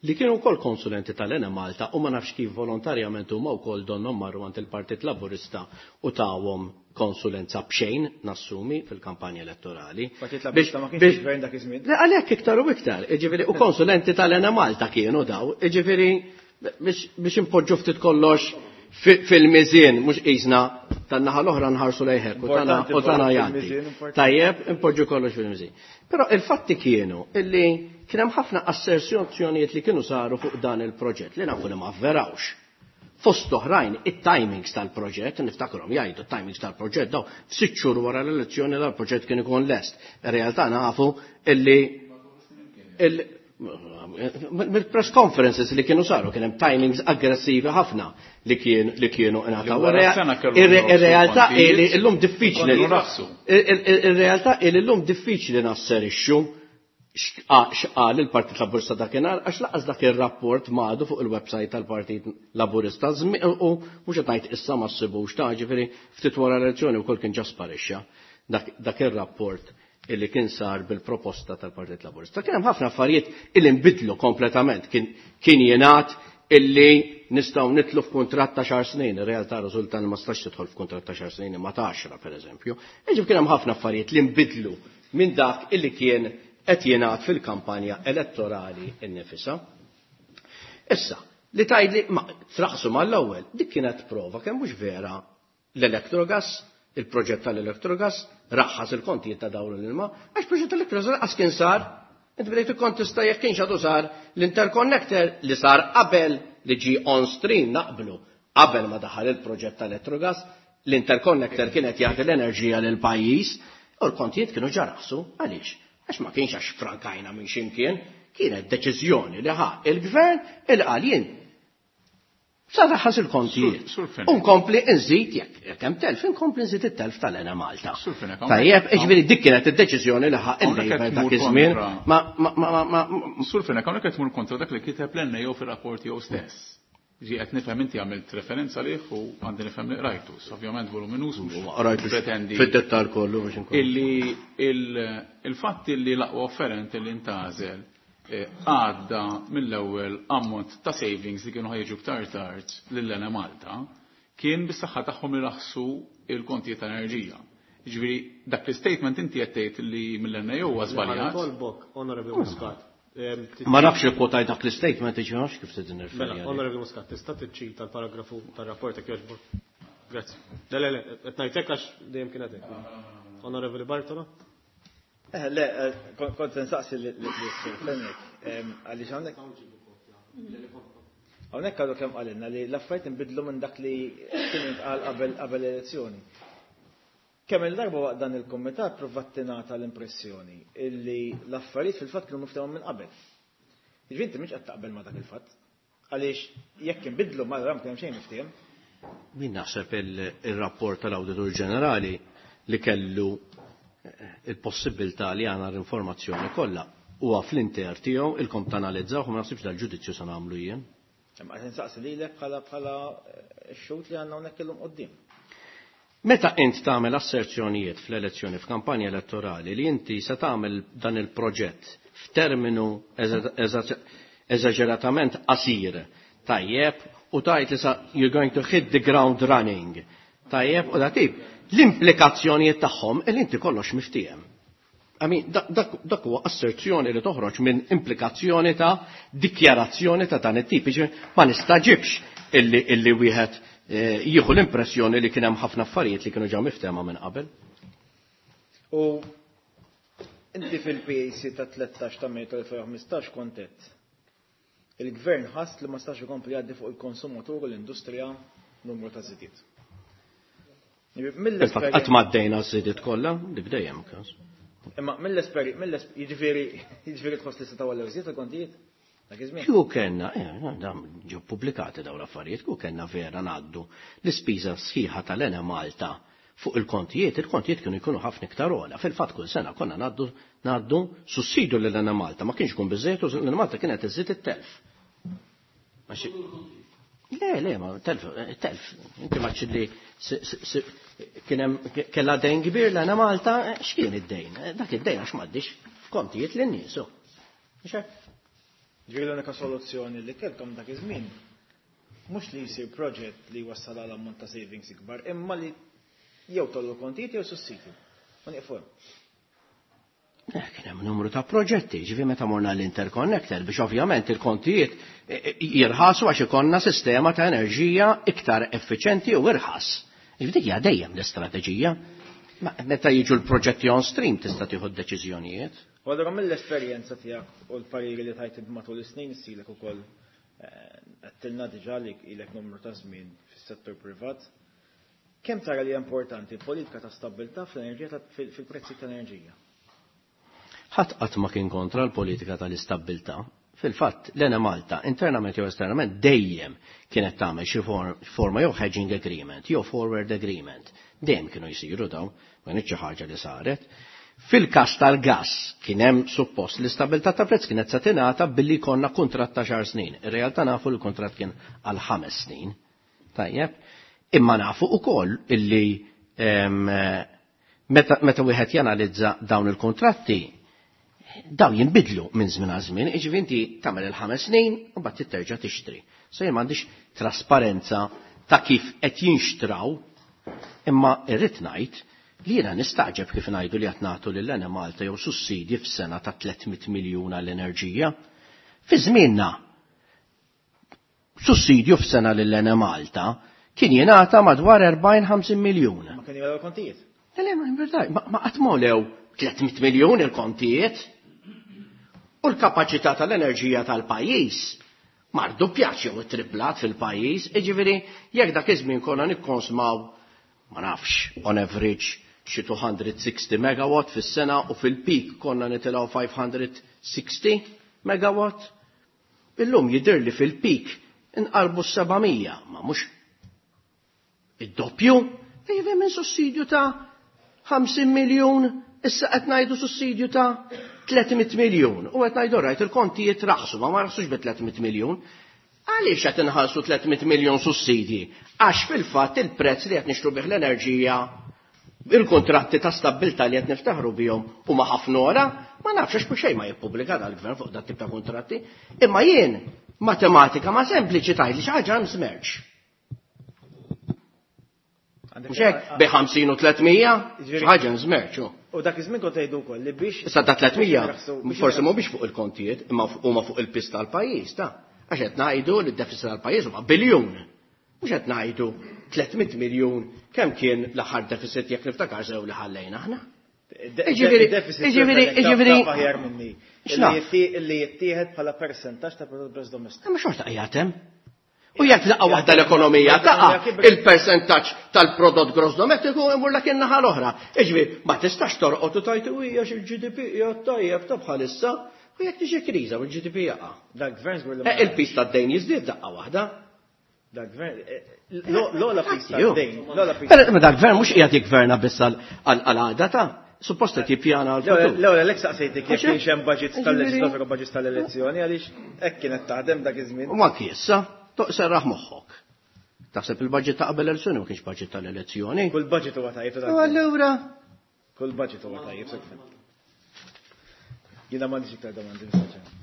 li kienu wkoll konsulenti tal-Enemalta u ma nafx kif volontarjament huma wkoll donnhom marru għand il-Partit Laburista u tawhom konsulenza b'xejn nassumi fil-kampanja elettorali. Partit Laburista ma kienx gvern dak iż-żmien. Le, għalhekk iktar u iktar, jiġifieri u konsulenti tal-Enemalta kienu daw, jiġifieri biex impoġġu ftit kollox fil-miżien, mhux qisna tan-naħa l-oħra nħarsu lejħek u tana Importanti jgħaddi. fil-miżien, importanti. Tajjeb, impoġġu kollox fil-miżien. Però il-fatti kienu illi kien hemm ħafna asserzjonijiet li kienu saru fuq dan il-proġett li nafu li ma avverawx. Fost oħrajn, it-timings tal-proġett, niftakrhom jgħidu it-timings tal-proġett daw f'sitt xhur wara l-elezzjoni dal-proġett kien ikun lest. Ir-realtà nafu illi mill-press conferences li kienu saru kien hemm timings aggressivi ħafna li kienu ingħataw. Li wara sena kellu nofsu Ir-realtà hi li kontijiet, llum diffiċli kontu nafsu. Ir-realtà hi li llum diffiċli nasserixxu x'qal il-Partit Laburista dakinhar għax laqas dak ir-rapport m'għadu fuq il-website tal-Partit Laburista u mhux qed ngħid issa ma ssibux ta' ġifieri ftit wara l-elezzjoni wkoll kien ġa sparixxa dak ir-rapport illi kien sar bil-proposta tal-Partit Laburista. Kien hemm ħafna affarijiet illi nbidlu kompletament. Kien jingħad illi nistgħu nitlu f'kuntratt ta' xar snin, ir-realtà riżulta li ma stax tidħol f'kuntratt ta' xar snin imma ta' 10 pereżempju. Jiġifieri kien hemm ħafna affarijiet li nbidlu minn dak illi kien qed jingħad fil-kampanja elettorali nnifisha. Issa, li tgħidli ma traqsu mal-ewwel, dik kienet prova kemm mhux vera l-Electrogas, il-proġett tal-Electrogas, raħħas il-kontijiet ta' dawn l-ilma, għax proġett tal-Electrogas lanqas kien sar. Inti bdejt ikkontesta jekk kienx għadu sar l-interconnector li sar qabel li ġie on stream naqblu qabel ma daħal il-proġett tal-Electrogas, l-interconnector kienet jagħti l-enerġija lil pajjiż u l-kontijiet kienu ġa raħsu. Għaliex? Għax ma kienx għax frankajna minn ximkien, kienet deċiżjoni li ħa il-gvern il qal jien sa raħas il-kontijiet. Unkompli nżid jekk hemm telf, inkompli nżid it-telf tal-Enemalta. Tajjeb, jiġifieri dik kienet id-deċiżjoni li ħa il-Labour dak iż-żmien. Ma ma ma Sur Fenech, hawnhekk qed tmur kontra dak li kiteb l-NAO fir-rapport tiegħu stess. Ġi qed nifhem inti għamilt referenza għalih u għandi nifhem li qrajtu. Ovvjament voluminus mhux pretendi. Fid-dettal kollu biex inkun. Illi il-fatt illi l-aqwa offerent illi ntgħażel għadda mill-ewwel ammont ta' savings li kienu ħa jiġu iktar tard lill-Enemalta kien bis-saħħa tagħhom li raħsu l-kontijiet tal-enerġija. Jiġifieri dak l-istatement inti qed tgħid li mill-NAO huwa żbaljat. Nitolbok, Honorable Muscat. Ma nafx li kwotajt dak l-istatement, jiġifieri ma nafx kif se nirreferi. Mela, Honorable Muscat, tista' tiċċita l-paragrafu tar-rapport jekk jogħġbok? Grazzi. Le, le, le, qed ngħid hekk għax dejjem kienet hekk. Honorable Bartolo? Eh, le, eh, kont se nsaqsi lis-Sur Fenech, għaliex hawnhekk. Hawnhekk għadu kemm qalilna li l-affarijiet inbidlu minn dak li kien intqal qabel qabel l-elezzjoni. Kemm il-darba waqt dan il-kumitat provat tingħata l-impressjoni illi l-affarijiet fil-fatt kienu miftehma minn qabel. Jiġifieri inti mhux qed taqbel ma' dak il-fatt. Għaliex jekk inbidlu ma allura ma kien hemm xejn miftiehem. Min naħseb il-rapport tal-Awditur Ġenerali li kellu il-possibbiltà li għana l-informazzjoni kollha huwa fl-inter tiegħu ilkom tanalizzawh u ma naħsibx dal-ġudizzju se nagħmlu jien. Imma qed insaqsi lilek bħala bħala x-xhud li għandna hawnhekk illum quddiem. Meta int tagħmel asserzjonijiet fl-elezzjoni f'kampanja elettorali li inti se tagħmel dan il-proġett f'terminu eżaġeratament qasir, tajjeb, u tgħid li sa you're going to hit the ground running, tajjeb, u dak tip, l-implikazzjonijiet tagħhom li inti kollox miftiehem. I mean, dak huwa asserzjoni li toħroġ minn implikazzjoni ta' dikjarazzjoni ta' dan it-tip. Ma nistaġibx illi, illi wieħed eh, jieħu l-impressjoni li kien hemm ħafna affarijiet li kienu ġew miftehma minn qabel. U inti fil-PAC ta' 13 ta' Mejju tal-2015 kontet Il-Gvern ħass li ma stax ikompli jgħaddi fuq il-konsumatur u l-industrija numru ta' żidiet. Fil-fatt qatt ma għaddejna ż-żidiet kollha, dik dejjem każ. Imma mill-esperi, jiġifieri jiġifieri tħoss li setgħu għallew żied il-kontijiet? Dak iż-żmien. Kieku kellna, eh, dam ġew pubblikati dawn l-affarijiet, kieku kellna vera ngħaddu l-ispiża sħiħa tal-Enemalta fuq il-kontijiet, il-kontijiet kienu jkunu ħafna iktar ogħla. Fil-fatt kull sena konna ngħaddu ngħaddu sussidju lil Enemalta, ma kienx ikun biżżejjed u l-Enemalta kienet iżżid it-telf. Le, le, ma telf, eh, telf. Inti ma li kien hemm kellha dejn kbir l-Enemalta, eh, x'kien id-dejn? Eh, dak id-dejn għax m'għaddix kontijiet lin-nies. Ġifieri l-unika soluzzjoni li kellkom dak iż-żmien mhux li jsir proġett li jwassal għal ammont ta' savings ikbar, imma li jew tollu kontijiet jew sussidju. U nieqfu hemm. Eh, kien hemm numru ta' proġetti, ġifi meta morna l-interconnector biex ovvjament il-kontijiet eh, eh, jirħasu għax ikollna sistema ta' enerġija iktar effiċenti u irħas. Ġifi dik hija dejjem l-istrateġija. Meta jiġu l-proġetti on stream tista' tieħu d-deċiżjonijiet. U allura mill-esperjenza tiegħek u l-pariri li tajt matul is-snin issilek ukoll għedtilna diġà li ilek numru ta' żmien fis-settur privat. Kemm tara li hija importanti l-politika ta' stabbiltà fl-enerġija fil-prezzijiet tal-enerġija? Ħadd qatt ma kien kontra l-politika tal-istabbiltà. Fil-fatt, l-Enemalta, internament jew esternament, dejjem kienet tagħmel xi forma jew hedging agreement jew forward agreement. Dejjem kienu jsiru dawn, ma kinitx xi ħaġa li saret. Fil-każ tal-gass kien hemm suppost l-istabbiltà ta' prezz kienet se tingħata billi jkollna kuntratt ta' xahar snin. Ir-realtà nafu li l-kuntratt kien għal ħames snin. Tajjeb. Imma nafu wkoll illi meta, meta wieħed janalizza dawn il-kuntratti, dawn jinbidlu minn żmien għal żmien, jiġifieri inti tagħmel il-ħames snin u mbagħad titerġa' tixtri. So jien m'għandix trasparenza ta' kif qed jinxtraw, imma irrid ngħid li jiena nistagħġeb kif ngħidu li qed nagħtu lil Enemalta jew sussidji f'sena ta' 300 miljun għall-enerġija. Fi żmienna sussidju f'sena lil Enemalta kien jingħata madwar 40-50 miljun. Ma kien jgħolew il-kontijiet. Le, le, ma, ma qatt m'għolew 300 miljun il-kontijiet. U l-kapaċità tal-enerġija tal-pajjiż ma rduppjatx jew ittriplat fil-pajjiż, jiġifieri jekk dak iż-żmien konna nikkonsmaw ma nafx on average xi 260 megawatt fis-sena u fil-peak konna nitilgħu 560 megawatt. Illum jidhirli fil-peak inqarbu 700, ma mhux id-doppju, jiġifieri minn sussidju ta' 50 miljun, issa qed ngħidu sussidju ta' 300 miljun. U qed ngħidu rajt il-kontijiet raħsu, ma ma raħsux bi 300 miljun. Għaliex qed inħallsu 300 miljun sussidji? Għax fil-fatt il-prezz li qed nixtru bih l-enerġija il-kontratti ta' stabbiltà li qed niftaħru bihom huma ħafna ora, ma nafx għax xejn ma jippubblika dal-gvern fuq dat tip ta' kontratti. Imma jien matematika ma sempliċi tgħid li xi ħaġa hemm smerċ. Mhux hekk bi 50 u 300, xi ħaġa hemm smerċ. hu. U dak iż-żmien kont tgħidu wkoll li biex Issa ta' 300 forsi mhumiex fuq il-kontijiet, imma huma fuq il-pis tal-pajjiż ta' għax qed ngħidu li d-deficit tal-pajjiż huma biljun. Mhux qed ngħidu 300 miljun kemm kien l-aħħar deficit jekk niftakar sew li ħallejna aħna. Jiġifieri- jiġifieri- jiġifieri- aħjar minni. X'naf? Illi jittieħed bħala persentaġġ ta' prodott gross domestiku. Ma xorta qiegħed hemm. U jekk daqqa waħda l-ekonomija taqa' il-persentaġġ tal-prodott gross domestiku imur lek in-naħa l-oħra. Jiġifieri ma tistax torqod u tgħid u hija il-GDP qiegħed tajjeb ta' bħalissa u jekk tiġi kriża u l-GDP jaqa'. Dak gvern żgur li ma- Il-pis tad-dejn jiżdied daqqa waħda. Dak gvern l-ogħla pis Ju. tad-dejn, l-ogħla pis. Però ma dak gvern mhux qiegħed jiggverna biss għal-għada ta' suppost qed jippjana għal-futur. L-ewwel għalhekk saqsejtek jekk Għax kienx hemm budgets Jiġifieri- tal-leġislatura u budgets tal-elezzjoni għaliex hekk kienet taħdem dak iż-żmien. U anki issa, serraħ moħħok. Taħseb il-budget ta' qabel elezzjoni ma kienx budget tal-elezzjoni. Kull budget huwa tajjeb ta' U allura Kull budget huwa tajjeb sa kif. Jiena m'għandix iktar domandi Mr. Chairman.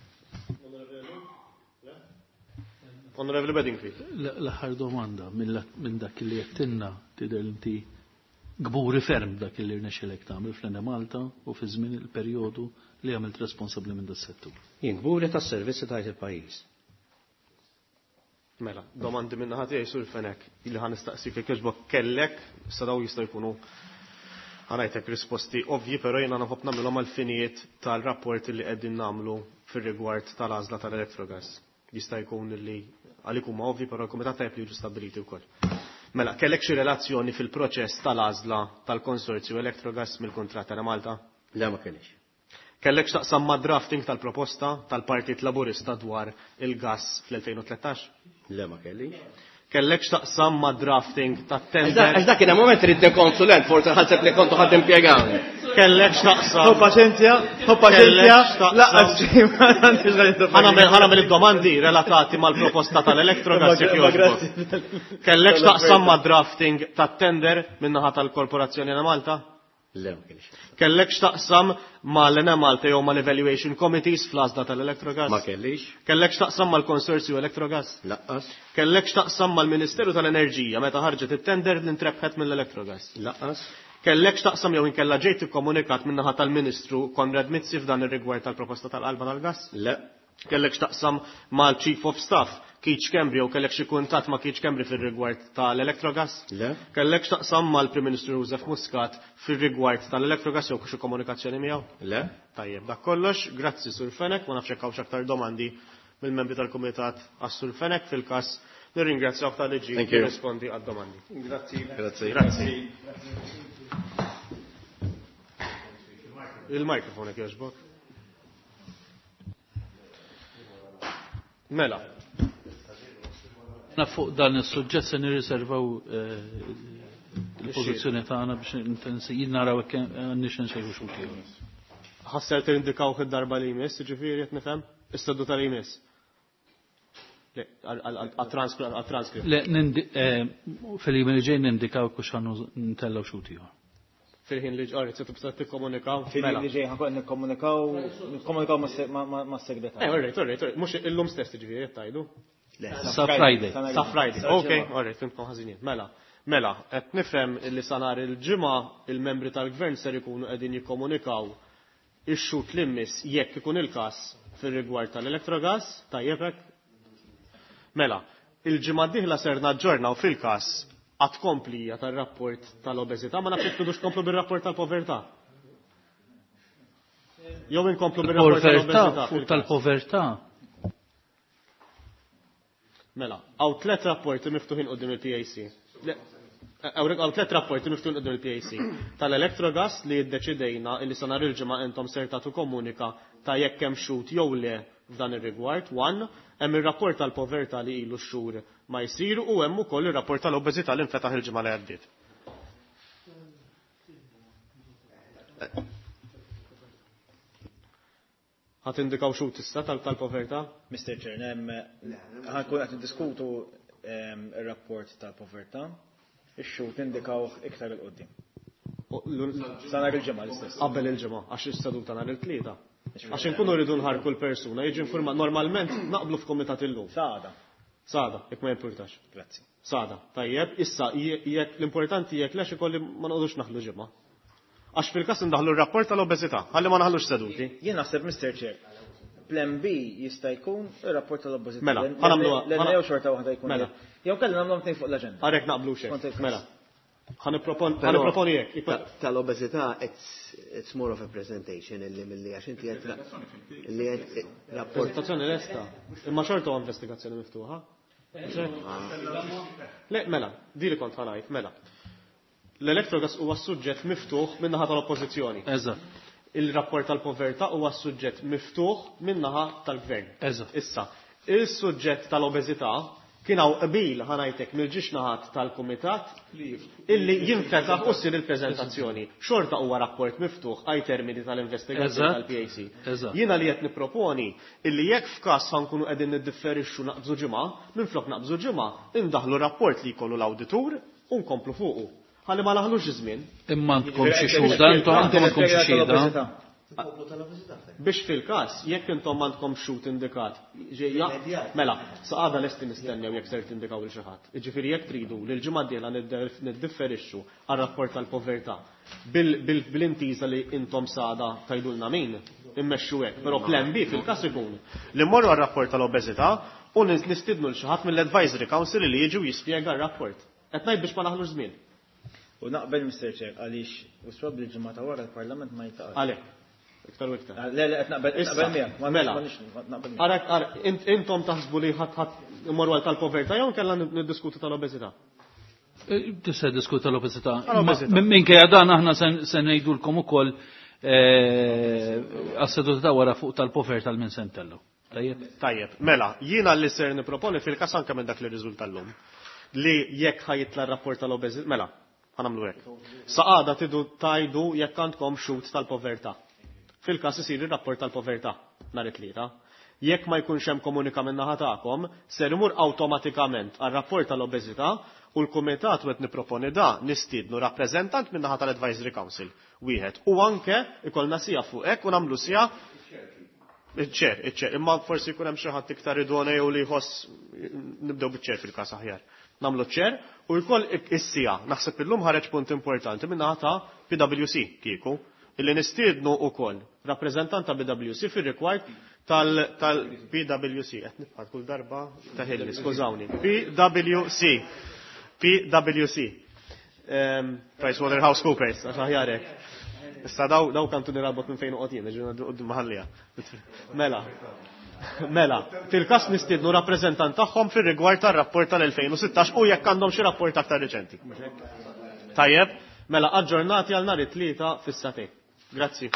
Onorevoli Bedingfield. L-aħħar domanda minn dak li għedtilna tidher inti gburi ferm dak li rnexxilek tagħmel fl-Enemalta u fi żmien il-perjodu li għamilt responsabbli minn das-settur. Jien gburi tas-servizzi tajt il-pajjiż. Mela, domandi minn naħa tiegħi sur Fenech illi ħa nistaqsik jekk jogħġbok kellek, issa daw jistgħu jkunu ħa ngħidlek risposti ovvji, però jiena nħobb nagħmilhom għall-finijiet tal-rapport li qegħdin nagħmlu fir-rigward tal-għażla tal-Electrogas. Jista' jkun li għalik huma ovvji, però l-kumitat tajjeb li jiġu stabbiliti wkoll. Mela, kellek xi relazzjoni fil-proċess tal-għażla tal-konsorzju Electrogas mill-kuntratt ta' Malta? Le ma kellix. Kellek x'taqsam ma' drafting tal-proposta tal-Partit Laburista dwar il-gas fl-2013? Le ma kellix. Kellek x'taqsam ma' drafting tat-tender? Għax dak kien hemm moment ridni konsulent, forsi ħaseb li kontu ħadd impjegawni. Kellek x'taqsam. Hu paċenzja, hu paċenzja, laqqas xejn ma għandix għal Ħa nagħmel id-domandi relatati mal-proposta tal-Electrogas jekk jogħġbok. Kellek x'taqsam ma' drafting tat-tender min-naħa tal-Korporazzjoni Enemalta? Le ma kellix. Kellek x'taqsam ma' l-Enemalta jew mal-Evaluation Committees fl-għażla tal-Electrogas? Ma kellix. Kellek x'taqsam mal-Konsorzju Electrogas? Laqqas. Kellek x'taqsam mal-Ministeru tal-Enerġija meta ħarġet it-tender li ntrebħet mill-Electrogas? Laqqas. Kellek x'taqsam jew inkella ġejt ikkomunikat min-naħa tal-Ministru Konrad Mizzi f'dan ir-rigward tal-proposta tal-qalba tal-gas? Le. Kellek x'taqsam mal-Chief of Staff Keith Schembri jew kellek xi kuntatt ma' Keith Schembri fir-rigward tal-Electrogas? Le. Kellek x'taqsam mal-Prim Ministru Joseph Muscat fir-rigward tal-Electrogas jew xi komunikazzjoni miegħu? Le. Tajjeb, dak kollox, grazzi Sur Fenech, ma nafx hekk hawnx aktar domandi mill-membri tal-Kumitat għas-Sur Fenech fil-każ nirringrazzjawk talli ġie Thank you. jirrispondi għad-domandi. Grazzi. Grazzi. Grazzi. Il-mikrofon jekk jogħġbok. Mela. Na fuq dan is-suġġett se nirriservaw il-pożizzjoni tagħna biex intensi jien naraw hekk għandniex insejħu xi wkoll. Ħasser tindikaw id-darba li jmiss, jiġifieri qed nifhem? Is-seduta li jmiss. Le, għat-transkript. Le, fil-jiem li ġej nindikaw kux ħannu ntellgħu xi ieħor. Fil-ħin li ġorri, se tibda tikkomunikaw. Fil-ħin li ġej ħankun nikkomunikaw mas-segretarju. All right, all right, all right. Mhux illum stess jiġifieri qed tgħidu. Sa Friday. Sa Friday. Ok, all right, fimtkom ħażinin. Mela, mela, qed nifhem li sa nhar il-ġimgħa il-membri tal-gvern ser ikunu qegħdin jikkomunikaw ix-xut li mmiss jekk ikun il-każ fir-rigward tal-Electrogas, tajjeb hekk? Mela, il-ġimgħa d-dieħla ser naġġornaw fil-każ għad komplija tar-rapport tal-obeżità, ma nafx jekk tridux komplu bir-rapport tal-povertà. Jew inkomplu bir-rapport tal-obeżità. Fuq tal-povertà. Mela, hawn tliet rapporti miftuħin quddiem il-PAC. Hawn tlet rapporti miftuħin quddiem il-PAC. Tal-Electrogas li ddeċidejna illi sa nhar il-ġimgħa intom ser tagħtu komunika ta' jekk hemm xhud jew le f'dan ir-rigward. One, hemm ir-rapport tal-povertà li ilu x-xhur ma jsir u hemm ukoll ir-rapport tal-obeżità li nfetaħ il-ġimgħa li għaddiet. Ħa tindikaw xhud issa tal-povertà? Mr. Chair, ħa nkun qed niddiskutu ir-rapport tal-povertà. Ix-xhud nindikawh iktar 'il quddiem. Sa nhar il-ġimgħa l-istess. Qabel il-ġimgħa, għax is-seduta nhar it-Tlieta. Għax inkunu rridu nħarku l-persuna, jiġi informat. Normalment naqblu f'komitat illum. Sada. Sada, jekk ma jimpurtax. Grazzi. Sada, tajjeb, issa jekk l-importanti jekk lex ikolli ma noqogħdux naħlu ġimgħa. Għax fil-każ indaħlu r-rapport tal-obeżità, ħalli ma naħlux seduti. Jien naħseb, Mr. Chair, plan B jista' jkun ir-rapport tal-obeżità. Mela, ħa nagħmluha. L jew xorta waħda jkun. Mela. Jew kellna nagħmluhom tnejn fuq l-aġenda. Għarek naqblu xejn. Mela. Ħa nipproponi hekk. Tal-obeżità it's more of a presentation illi milli għax inti qed li qed rapport. Prezentazzjoni lesta. Imma xorta huwa investigazzjoni miftuħa. Le, mela, di li kont ħa ngħid, mela. L-Electrogas huwa suġġett miftuħ min-naħa tal-Oppożizzjoni. Eżatt. Il-rapport tal-povertà huwa suġġett miftuħ min-naħa tal-Gvern. Eżatt. Issa, il-suġġett tal-obeżità kien hawn qbil ħa ngħidlek mill-ġiex naħat tal-Kumitat illi jinfetaħ u ssir il-preżentazzjoni. Xorta huwa rapport miftuħ għaj termini tal-investigazzjoni tal-PAC. Jiena li qed nipproponi illi jekk f'każ ħa nkunu qegħdin niddifferixxu naqbżu ġimgħa, minflok naqbżu ġimgħa, indaħlu rapport li jkollu l-awditur u nkomplu fuqu. Ħalli ma naħlux żmien. Imma għandkom xi xhuda, intom għandkom xi xhieda. Biex fil-każ, jekk intom m'għandkom xhud indikat, mela, sa għada lesti nistennew jekk ser tindikaw lil xi ħadd. Jiġifieri jekk tridu li l-ġimgħa d-dieħla niddifferixxu għar-rapport tal-povertà bil-intiża li intom sada tgħidulna min, immexxu hekk. Però plan B fil-każ ikun li mmorru għar-rapport tal-obeżità u nistidnu lil xi ħadd mill-Advisory Council li jiġu jispjega r-rapport. Qed ngħid biex ma naħlux żmien. U naqbel Mr. Chair għaliex u probabbli l-ġimgħa ta' wara l-Parlament ma jiltaqax. Għalhekk. Iktar u iktar. Le, le, qed naqbel miegħek. Mela. Arek, intom taħsbu li ħadd ħadd imorru għal tal-povertà jew kellha niddiskutu tal-obeżità? Tista' diskutu tal-obeżità. Minkejja dan aħna se ngħidulkom ukoll għas-seduta ta' wara fuq tal-povertà l-min se ntellu. Tajjeb. Tajjeb. Mela, jiena li ser nipproponi fil-każ anke minn dak li rriżulta llum li jekk ħa jitla' r-rapport tal-obeżità, mela, ħa nagħmlu hekk. Sa għada tidu tajdu jekk għandkom xhud tal-povertà. Fil-każ isir ir-rapport tal-povertà nhar it-Tlieta. Jekk ma jkunx hemm komunika min-naħa tagħkom, ser imur awtomatikament għar-rapport tal-obeżità u l-kumitat u qed nipproponi da nistiednu rappreżentant min-naħa tal-Advisory Council wieħed. U anke ikollna sija fuq hekk u nagħmlu sija iċ-ċer, iċ-ċer, imma forsi jkun hemm xi ħadd iktar idoneu li jħoss nibdew biċ-ċer fil-każ aħjar. Nagħmlu ċ-ċer u jkoll is-sija. Naħseb illum ħareġ punt importanti min-naħa ta' PwC kieku illi nistiednu wkoll rappreżentant ta' PwC fir-rigward tal-PwC. Qed nibqa' kull darba ta' ħilli, skużawni. PwC. PwC. PricewaterhouseCoopers, għax aħjar hekk. Issa daw kantu nirabot minn fejn uqgħod jien, ġieli quddiem maħallija. Mela. Mela, fil-każ nistiednu rappreżentant tagħhom fir-rigward tar-rapport tal-2016 u jekk għandhom xi rapport aktar riċenti. Tajjeb, mela aġġornati għal nhar it-Tlieta fis-sagħtejn. Grazzi.